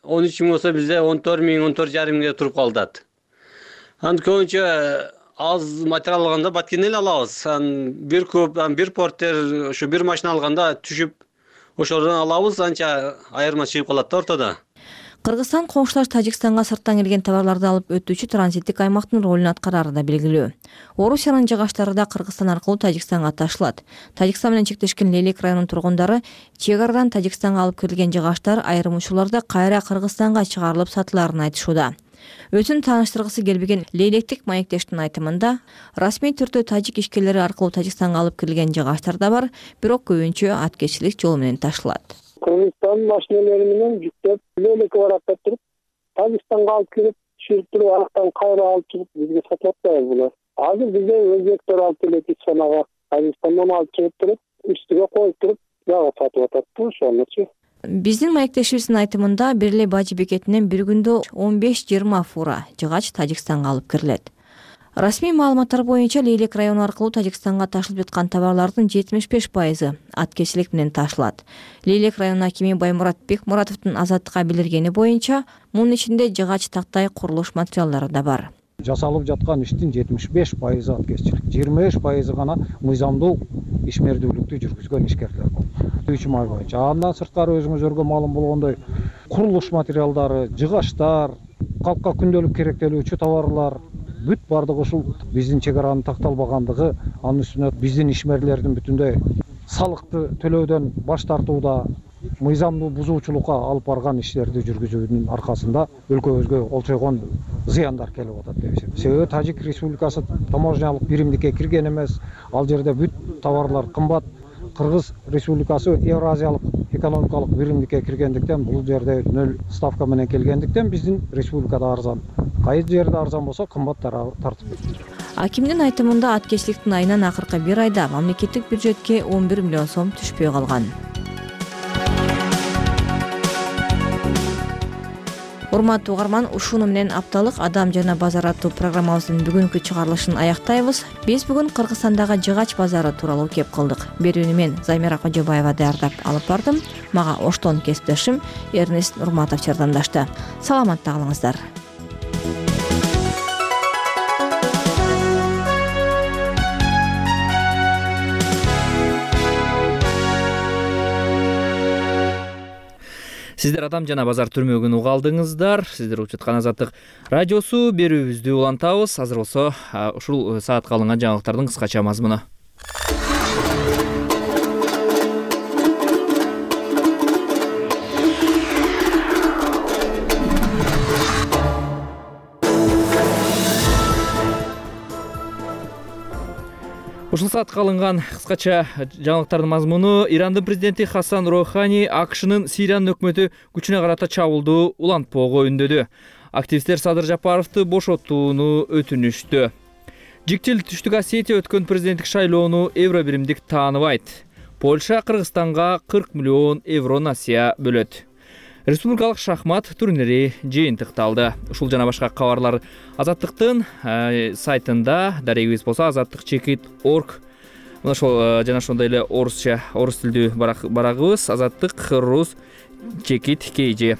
S12: он үч миң болсо бизде он төрт миң, он төрт жарым миңге туруп калат. Аны көбүнчө аз материал алганда Баткенден эле алабыз. Бир куб, бир портер, ушу бир машина алганда түшүп ошолордон алабыз, анча айырма чыгып калат да ортодо.
S6: Кыргызстан коңшулаш Тажикстанга сырттан келген товарларды алып өтүүчү транзиттик аймактын ролун аткарары да белгилүү. Орусиянын жыгачлары да Кыргызстан аркылуу Тажикстанга ташылат. Тажикстан менен чектешкен Лейлек районунун тургундары чек арадан Тажикстанга алып кирилген жыгачлар айрым учурларда кайра Кыргызстанга чыгарылып сатыларын айтышууда. Өзүн тааныштыргысы келбеген Лейлектик маектештин айтымында, расмий түрдө тажик ишкерлери аркылуу Тажикстанга алып кирилген жыгачлар да бар, бирок көбүнчө аткечилик жол менен ташылат.
S16: Кыргызстан машиналары менен жүктөп, Лейлекке барып туруп, Тажикстанга алып кирип, түшүрүп туруп, арактан кайра алып чыгып бизге сатып атпайбы булар. Азыр бизде өзбектер алып келет Исфанага, Тажикстандан алып чыгып туруп, үстүгө коюп туруп, дагы сатып атат да, ошонучу.
S6: Биздин маектешибиздин айтымында бир эле Бажы бекетинен бир күндө он беш жыйырма фура жыгач Тажикстанга алып кирилет. Расмий маалыматтар боюнча Лейлек району аркылуу Тажикстанга ташылып жаткан товарлардын жетимиш беш пайызы аткечилик менен ташылат. Лейлек районунун акими Баймурат Бекмуратовдун Азаттыкка билдиргени боюнча, мунун ичинде жыгач, тактай, курулуш материалдары да бар.
S18: Жасалып жаткан иштин жетимиш беш пайызы аткечилик, жыйырма беш пайызы гана мыйзамдуу ишмердүүлүктү жүргүзгөн ишкерлер. Үч май боюнча. Андан сырткары өзүңүзөргө маалым болгондой, курулуш материалдары, жыгачтар, калкка күндөлүк керектелүүчү товарлар бүт бардыгы ушул биздин чек аранын такталбагандыгы, анын үстүнө биздин ишмерлердин бүтүндөй салыкты төлөөдөн баш тартууда, мыйзамдуу бузуучулукка алып барган иштерди жүргүзүүнүн аркасында өлкөбүзгө олчойгон зыяндар келип атат деп эсептейм. Себеби Тажик Республикасы таможнялык биримдикке кирген эмес, ал жерде бүт товарлар кымбат. Кыргыз Республикасы Евразиялык экономикалык биримдикке киргендиктен, бул жерде нөл ставка менен келгендиктен биздин республикада арзан. Кайсы жерде арзан болсо кымбат тартып.
S6: Акимдин айтымында аткечиликтин айынан акыркы бир айда мамлекеттик бюджетке он бир миллион сом түшпөй калган. Урматтуу угарман, ушуну менен апталык Адам жана базар аттуу программабыздын бүгүнкү чыгарылышын аяктайбыз. Биз бүгүн Кыргызстандагы жыгач базары тууралуу кеп кылдык. Берүүнү мен Замира Кожобаева даярдап алып бардым. Мага оштон кесиптешим Эрнест Нурматов жардамдашты. Саламатта калыңыздар.
S1: Сиздер Адам жана базар түрмөгүн угалдыңыздар. Сиздер угуп жаткан Азаттык радиосу. Берүүбүздү улантабыз. Азыр болсо ушул саатка алынган жаңылыктардын кыскача мазмуну. Ушул саатка алынган кыскача жаңылыктардын мазмуну: Ирандын президенти Хасан Роухани АКШнын Сириянын өкмөтү күчүнө карата чабуулду улантпоого үндөдү. Активисттер Садыр Жапаровду бошотууну өтүнүштү. Жиктил Түштүк Осетия өткөн президенттик шайлоону евро биримдик тааныбайт. Польша Кыргызстанга кырк миллион евро насыя бөлөт. Республикалык шахмат турнири жыйынтыкталды. Ушул жана башка кабарлар Азаттыктын сайтында, дарегибиз болсо азаттык чекит точка орг. Мына ошол жана ошондой эле орусча, орус тилдүү барагыбыз азаттык рус чекит kg.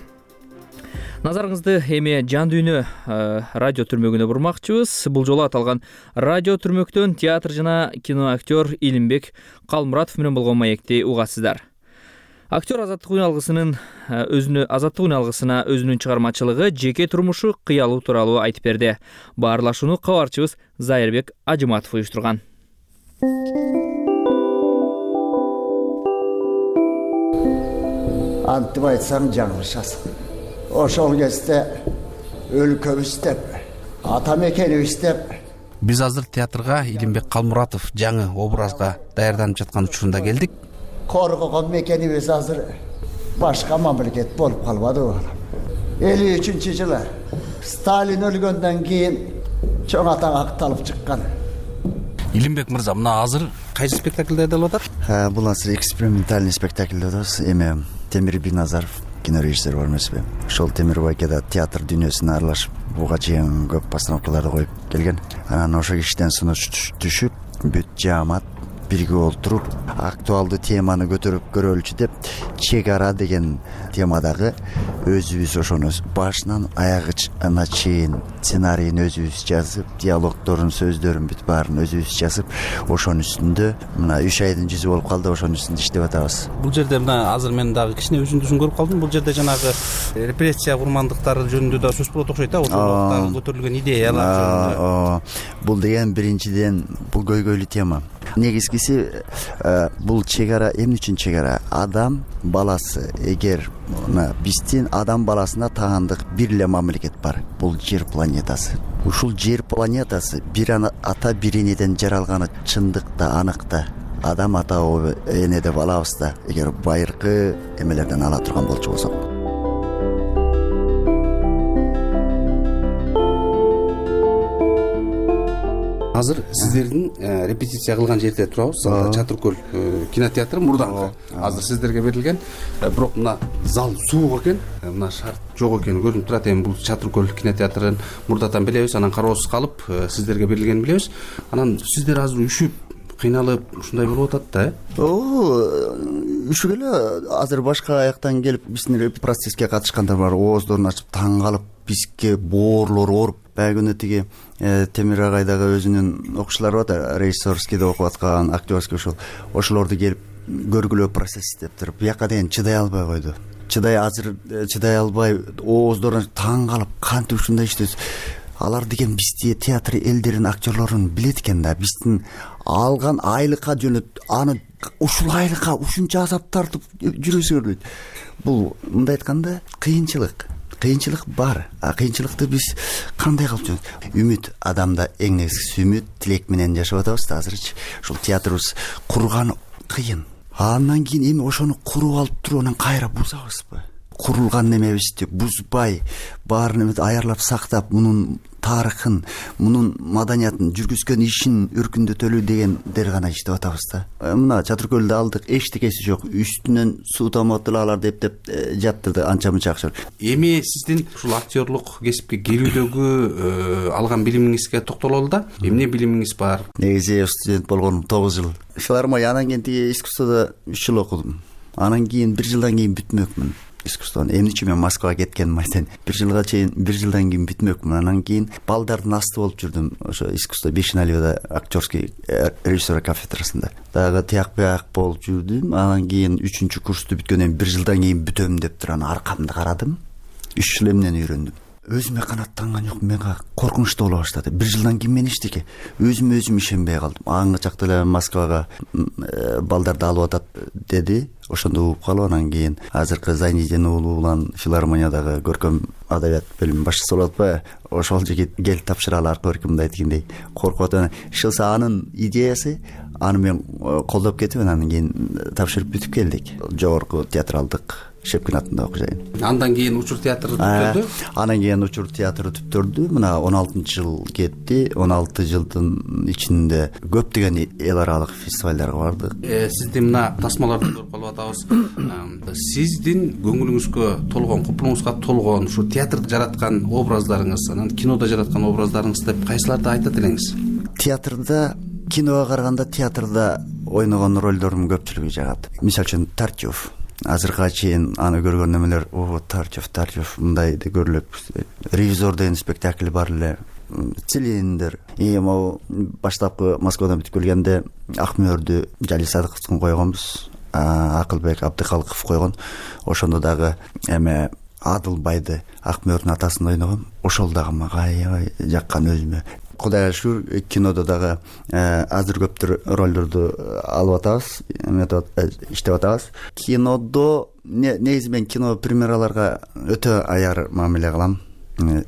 S1: Назарыңызды эми жан дүйнө радио түрмөгүнө бурмакчыбыз. Бул жолу аталган радио түрмөктөн театр жана кино актер Илимбек Калмуратов менен болгон маекти угасыздар. Актер Азаттык уналгысынын өзүнө Азаттык уналгысына өзүнүн чыгармачылыгы, жеке турмушу, кыялуу тууралуу айтып берди. Баарлашууну кабарчыбыз Зайырбек Ажыматов уюштурган.
S4: Антып айтсаң жаңылышасың. Ошол кезде өлкөбүз деп, ата мекенибиз деп.
S5: Биз азыр театрга Илимбек Калмуратов жаңы образга даярданып жаткан учурунда келдик.
S4: Коргогон мекенибиз азыр башка мамлекет болуп калбадыбы? элүү үчүнчү жылы Сталин өлгөндөн кийин чоң атаң акталып чыккан.
S5: Илимбек мырза, мына азыр кайсы спектакль даярдалып атат?
S4: Бул азыр экспериментальный спектакль атабыз. Эми Темир Биназаров кинорежиссер бар эмеспи? Ошол Темир байкеда театр дүйнөсүнө аралашып, буга чейин көп постановкаларды коюп келген. Анан ошол кишиден сунуш түшүп, бүт жаамат бирге олтуруп, актуалдуу теманы көтөрүп көрөлүчү деп, чек ара деген темадагы өзүбүз ошону башынан аягына чейин сценарийин өзүбүз жазып, диалогдорун, сөздөрүн бүт баарын өзүбүз жазып, ошонун үстүндө мына үч айдын жүзү болуп калды, ошонун үстүндө иштеп атабыз.
S5: Бул жерде мына азыр мен дагы кичине үзүндүсүн көрүп калдым. Бул жерде жанагы репрессия курмандыктары жөнүндө да сөз болот окшойт да, ошол көтөрүлгөн идеялар жөнүндө.
S4: Бул деген биринчиден бул көйгөйлүү тема. Негизгиси бул чек ара эмне үчүн чек ара? Адам баласы, эгер биздин адам баласына таандык бир эле мамлекет бар, бул жер планетасы. Ушул жер планетасы бир ата бир энеден жаралганы чындык да, анык да. Адам ата эне деп алабыз да, эгер байыркы эмелерден ала турган болчу болсок.
S5: Азыр сиздердин репетиция кылган жерде турабыз. Чатыр көл кинотеатры мурдаңкы. Азыр сиздерге берилген, бирок мына зал суук экен, мына шарт жок экени көрүнүп турат. Эми бул Чатыр көл кинотеатрын мурдатан билебиз, анан кароосуз калып сиздерге берилгенин билебиз. Анан сиздер азыр үшүп, кыйналып ушундай болуп атат да, э?
S4: О, үшүп эле азыр башка аяктан келип биздин процесске катышкандар бар, ооздорун ачып таң калып, бизге боорлор ооруп. Баягы күнү тиги Темир агайдагы өзүнүн окуучулары бар, режиссерскийде окуп аткан, актерский ошол. Ошолорду келип көргүлөө процесс деп туруп, бияка деген чыдай албай койду. Чыдай азыр чыдай албай, ооздорун таң калып, кантип ушундай иштебиз. Алар деген бизди театр элдерин, актерлорун билет экен да, биздин алган айлыкка жөнөт, аны ушул айлыкка ушунча азап тартып жүрөсү көрбөйт. Бул мындай айтканда кыйынчылык. Кыйынчылык бар. А кыйынчылыкты биз кандай кылып жүрөбүз? Үмүт, адамда эң негизгиси үмүт, тилек менен жашап атабыз да азырчы. Ушул театрыбыз курган кыйын. Андан кийин эми ошону куруп алып туруп анан кайра бузабызбы? Курулган немебизди бузбай, баарын аярлап сактап, мунун тарыхын, мунун маданиятын, жүргүзгөн ишин өркүндөтөлүү дегендер гана иштеп атабыз да. Мына Чатыр көлдө алдык, эчтекеси жок. Үстүнөн суу таматылаларды эптеп жаптырды, анча мынча акча.
S5: Эми сиздин ушул актерлук кесипке кирүүдөгү алган билимиңизге токтололу да. Эмне билимиңиз бар?
S4: Негизи студент болгонум тогуз жыл. Филармония, анан кийин тиги искусстводо үч жыл окудум. Анан кийин бир жылдан кийин бүтмөкмүн. Искусствону эмне үчүн мен Москвага кеткеним айтайын. Бир жылга чейин, бир жылдан кийин бүтмөкмүн. Анан кийин балдардын асты болуп жүрдүм. Ошо искусство Бешеналиевда актерский режиссер кафедрасында. Дагы тияк бияк болуп жүрдүм. Анан кийин үчүнчү курсту бүткөндөн бир жылдан кийин бүтөм деп туруп анан аркамды карадым. үч жыл эмнени үйрөндүм. Өзүмө канааттанган жокмун, менга коркунучтуу боло баштады. Бир жылдан кийин мен эчтеке өзүмө өзүм ишенбей калдым. Аңгы чакта эле Москвага балдарды алып атат деди. Ошондо угуп калып, анан кийин азыркы Зайнидин уулу улан филармониядагы көркөм адабият бөлүмүнүн башчысы болуп атпайбы? Ошол жигит кел тапшыралы аркы көркөмдү дегендей коркуп атат. Ишилса анын идеясы, аны мен колдоп кетип, анан кийин тапшырып бүтүп келдик. Жогорку театралдык Шепкин атындагы окуяйын.
S5: Андан кийин учур театры түптөрдү.
S4: Анан кийин учур театры түптөрдү. Мына он алтынчы жыл кетти. он алты жылдын ичинде көптөгөн эл аралык фестивалдарга бардык.
S5: Сиздин мына тасмаларды көрүп калып атабыз. Сиздин көңүлүңүзгө толгон, купулуңузга толгон ушу театрда жараткан образдарыңыз, анан кинодо жараткан образдарыңыз деп кайсыларды айтат элеңиз?
S4: Театрда, киного караганда театрда ойногон ролдордун көпчүлүгү жагат. Мисалы үчүн Тартьев. Азыркыга чейин аны көргөн немелер, о, Тартьев, Тартьев мындай да көрүлөт. Ревизор деген спектакль бар эле. Цилиндер. И могу баштапкы Москвадан бүтүп келгенде Акмөрдү Жали Садыковдун койгонбуз. Акылбек Абдыкалыков койгон. Ошондо дагы эме Адылбайды, Акмөрдүн атасын ойногом. Ошол дагы мага аябай жаккан өзүмө. Кудайга шүгүр, кинодо дагы азыр көптөр ролдорду алып атабыз, иштеп атабыз. Кинодо негизи мен кино премьераларга өтө аяр мамиле кылам.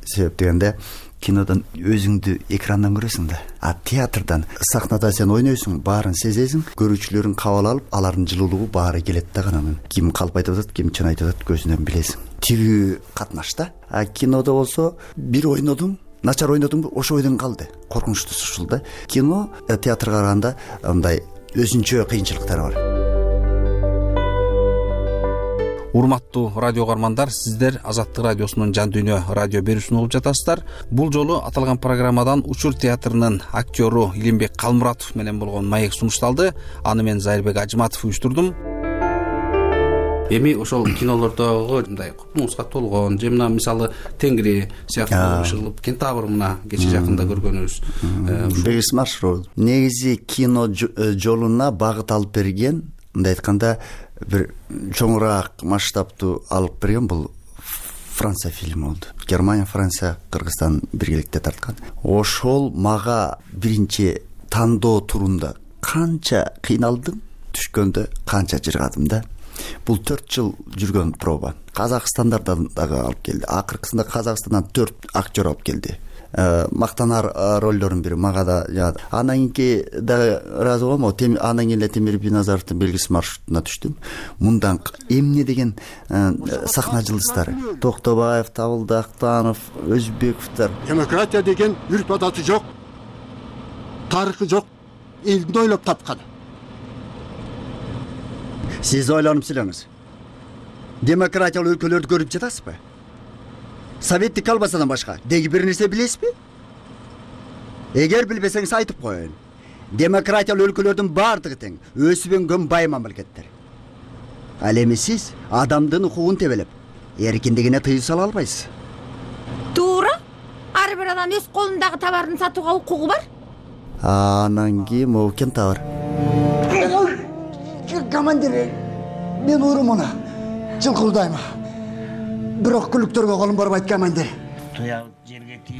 S4: Себеп дегенде кинодон өзүңдү экрандан көрөсүң да. А театрдан сахнада сен ойнойсуң, баарын сезесиң, көрүүчүлөрүн кабыл алып, алардын жылуулугу баары келет да канан. Ким калп айтып атат, ким чын айтып атат көзүнөн билесиң. Тирүү катнашта. А кинодо болсо бир ойнодуң, начар ойнодуңбу, ошо ойдон калды. Коркунучтуусу ушул да. Кино театрга караганда мындай өзүнчө кыйынчылыктары бар.
S5: Урматтуу радио угармандар, сиздер Азаттык радиосунун Жан дүйнө радио берүүсүн угуп жатасыздар. Бул жолу аталган программадан Учур театрынын актёру Илимбек Калмуратов менен болгон маек сунушталды. Аны мен Зайырбек Ажыматов уюштурдум. Эми ошол кинолордогу мындай купулуңузга толгон, же мына мисалы Тенгри сыяктуу ушул Кентавр мына кече жакында көргөнүбүз.
S4: Бегис маршрут. Негизи кино жолуна багыт алып берген, мындай айтканда бир чоңураак масштабтуу алып берген бул Франция фильми болду. Германия, Франция, Кыргызстан биргеликте тарткан. Ошол мага биринчи тандоо турунда канча кыйналдым, түшкөндө канча жыргадым да. Бул төрт жыл жүргөн проба. Казакстандардан дагы алып келди. Акыркысында Казакстандан төрт актер алып келди. Мактанар ролдордун бири мага да жагат. Анан кийин дагы ыраазы болом. Анан кийин Темир Биназаровдун белгисиз маршрутуна түштүм. Мындан эмне деген сахна жылдыздары. Токтобаев, Табылды Актанов, Өзбековдор.
S19: Демократия деген үрп адаты жок. Тарыхы жок. Элди ойлоп тапкан.
S4: Сиз ойлонуп сүйлөңүз. Демократиялык өлкөлөрдү көрүп жатасызбы? Советтик албасадан башка деги бир нерсе билесизби? Эгер билбесеңиз айтып коеюн. Демократиялык өлкөлөрдүн баардыгы тең, өсүп өнгөн бай мамлекеттер. Ал эми сиз адамдын укугун тебелеп, эркиндигине тыюу сала албайсыз.
S20: Туура. Ар бир адам өз колундагы товарын сатууга укугу бар.
S4: Анан кийин могу Кентавр.
S19: Командир, мен урумуна жылкылдайм. Бирок күлүктөргө колум барбайт, командир.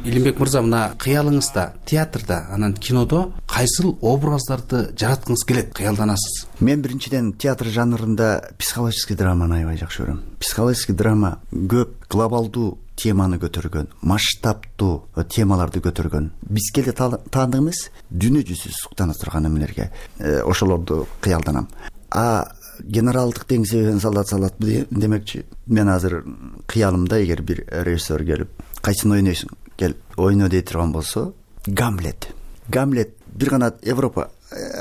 S5: Илимбек мырза, мына кыялыңызда театрда, анан кинодо кайсыл образдарды жараткыңыз келет, кыялданасыз?
S4: Мен биринчиден театр жанрында психологический драманы аябай жакшы көрөм. Психологический драма көп глобалдуу теманы көтөргөн, масштабтуу темаларды көтөргөн. Бизге да таандык эмес, дүйнө жүзү суктана турган эмелерге ошолорду кыялданам. А генералдык деңсебен солдат салат демекчи, мен азыр кыялымда эгер бир режиссер келип, кайсын ойнойсуң, кел ойно дей турган болсо, Гамлет. Гамлет бир гана Европа,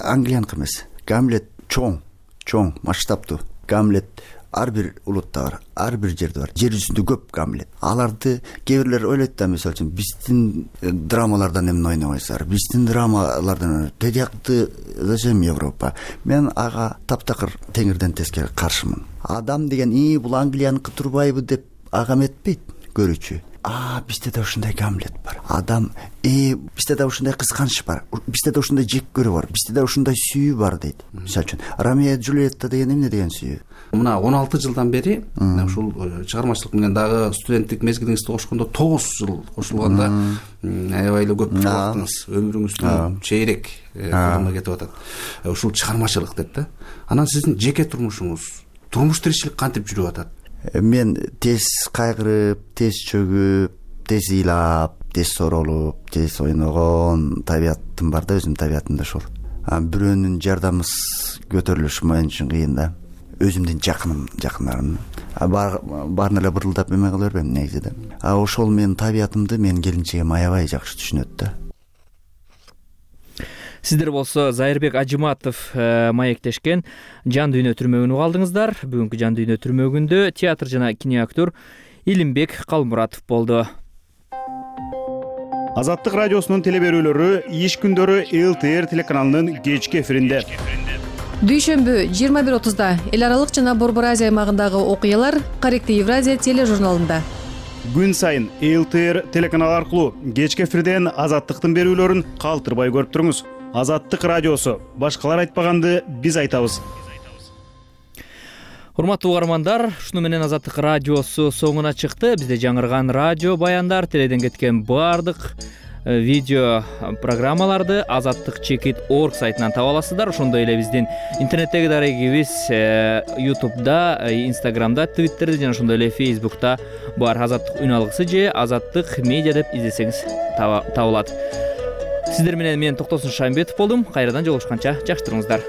S4: Англияныкы эмес. Гамлет чоң, чоң, масштабтуу. Гамлет ар бир улутта бар, ар бир жерде бар. Жер жүзүндө көп Гамлет. Аларды кээ бирлер ойлойт да, мисалы үчүн биздин драмалардан эмне ойнобойсуздар? Биздин драмалардан тедиякты зачем Европа? Мен ага таптакыр теңирден тескери каршымын. Адам деген ии бул Англияныкы турбайбы деп ага эметпейт көрүүчү. А, бизде да ушундай Гамлет бар. Адам, э, бизде да ушундай кызганыч бар. Бизде да ушундай жек көрүү бар. Бизде да ушундай сүйүү бар дейт. Мисалы үчүн, Ромео и Джульетта деген эмне деген сүйүү?
S5: Мына он алты жылдан бери ушул чыгармачылык менен дагы студенттик мезгилиңизди кошкондо тогуз жыл кошулганда аябай эле көп убактыңыз, өмүрүңүздүн чейрек колуна кетип атат. Ушул чыгармачылык деп да. Анан сиздин жеке турмушуңуз, турмуш тиричилик кантип жүрүп атат?
S4: Мен тез кайгырып, тез чөгүп, тез ыйлап, тез соролуп, тез ойногон табиятым бар да, өзүмдүн табиятым да ушул. Бирөөнүн жардамысыз көтөрүлүшү мен үчүн кыйын да. өзүмдүн жакыным жакындарым баарын эле бырылдап эме кыла бербейм негизи да. А ошол менин табиятымды менин келинчегим аябай жакшы түшүнөт да.
S1: Сиздер болсо Зайырбек Ажыматов маектешкен Жан дүйнө түрмөгүн угалдыңыздар. Бүгүнкү Жан дүйнө түрмөгүндө театр жана киноактер Илимбек Калмуратов болду.
S3: Азаттык радиосунун теле берүүлөрү иш күндөрү эл тэ эр телеканалынын кечки эфиринде.
S21: Дүйшөмбү жыйырма бир отузда эл аралык жана Борбор Азия аймагындагы окуялар Корректив Евразия тележурналында.
S3: Күн сайын эл тэ эр телеканалы аркылуу кечки эфирден Азаттыктын берүүлөрүн калтырбай көрүп туруңуз. Азаттык радиосу. Башкалар айтпаганды биз айтабыз.
S1: Урматтуу угармандар, ушуну менен Азаттык радиосу соңуна чыкты. Бизде жаңырган радио баяндар, теледен кеткен баардык видео программаларды азаттык чекит точка орг сайтынан таба аласыздар. Ошондой эле биздин интернеттеги дарегибиз ютубда, инстаграмда, твиттерде жана ошондой эле фейсбукта бар. Азаттык үн алгысы же Азаттык медиа деп издесеңиз табылат. Сиздер менен мен Токтосун Шамбетов болдум. Кайрадан жолугушканча жакшы туруңуздар.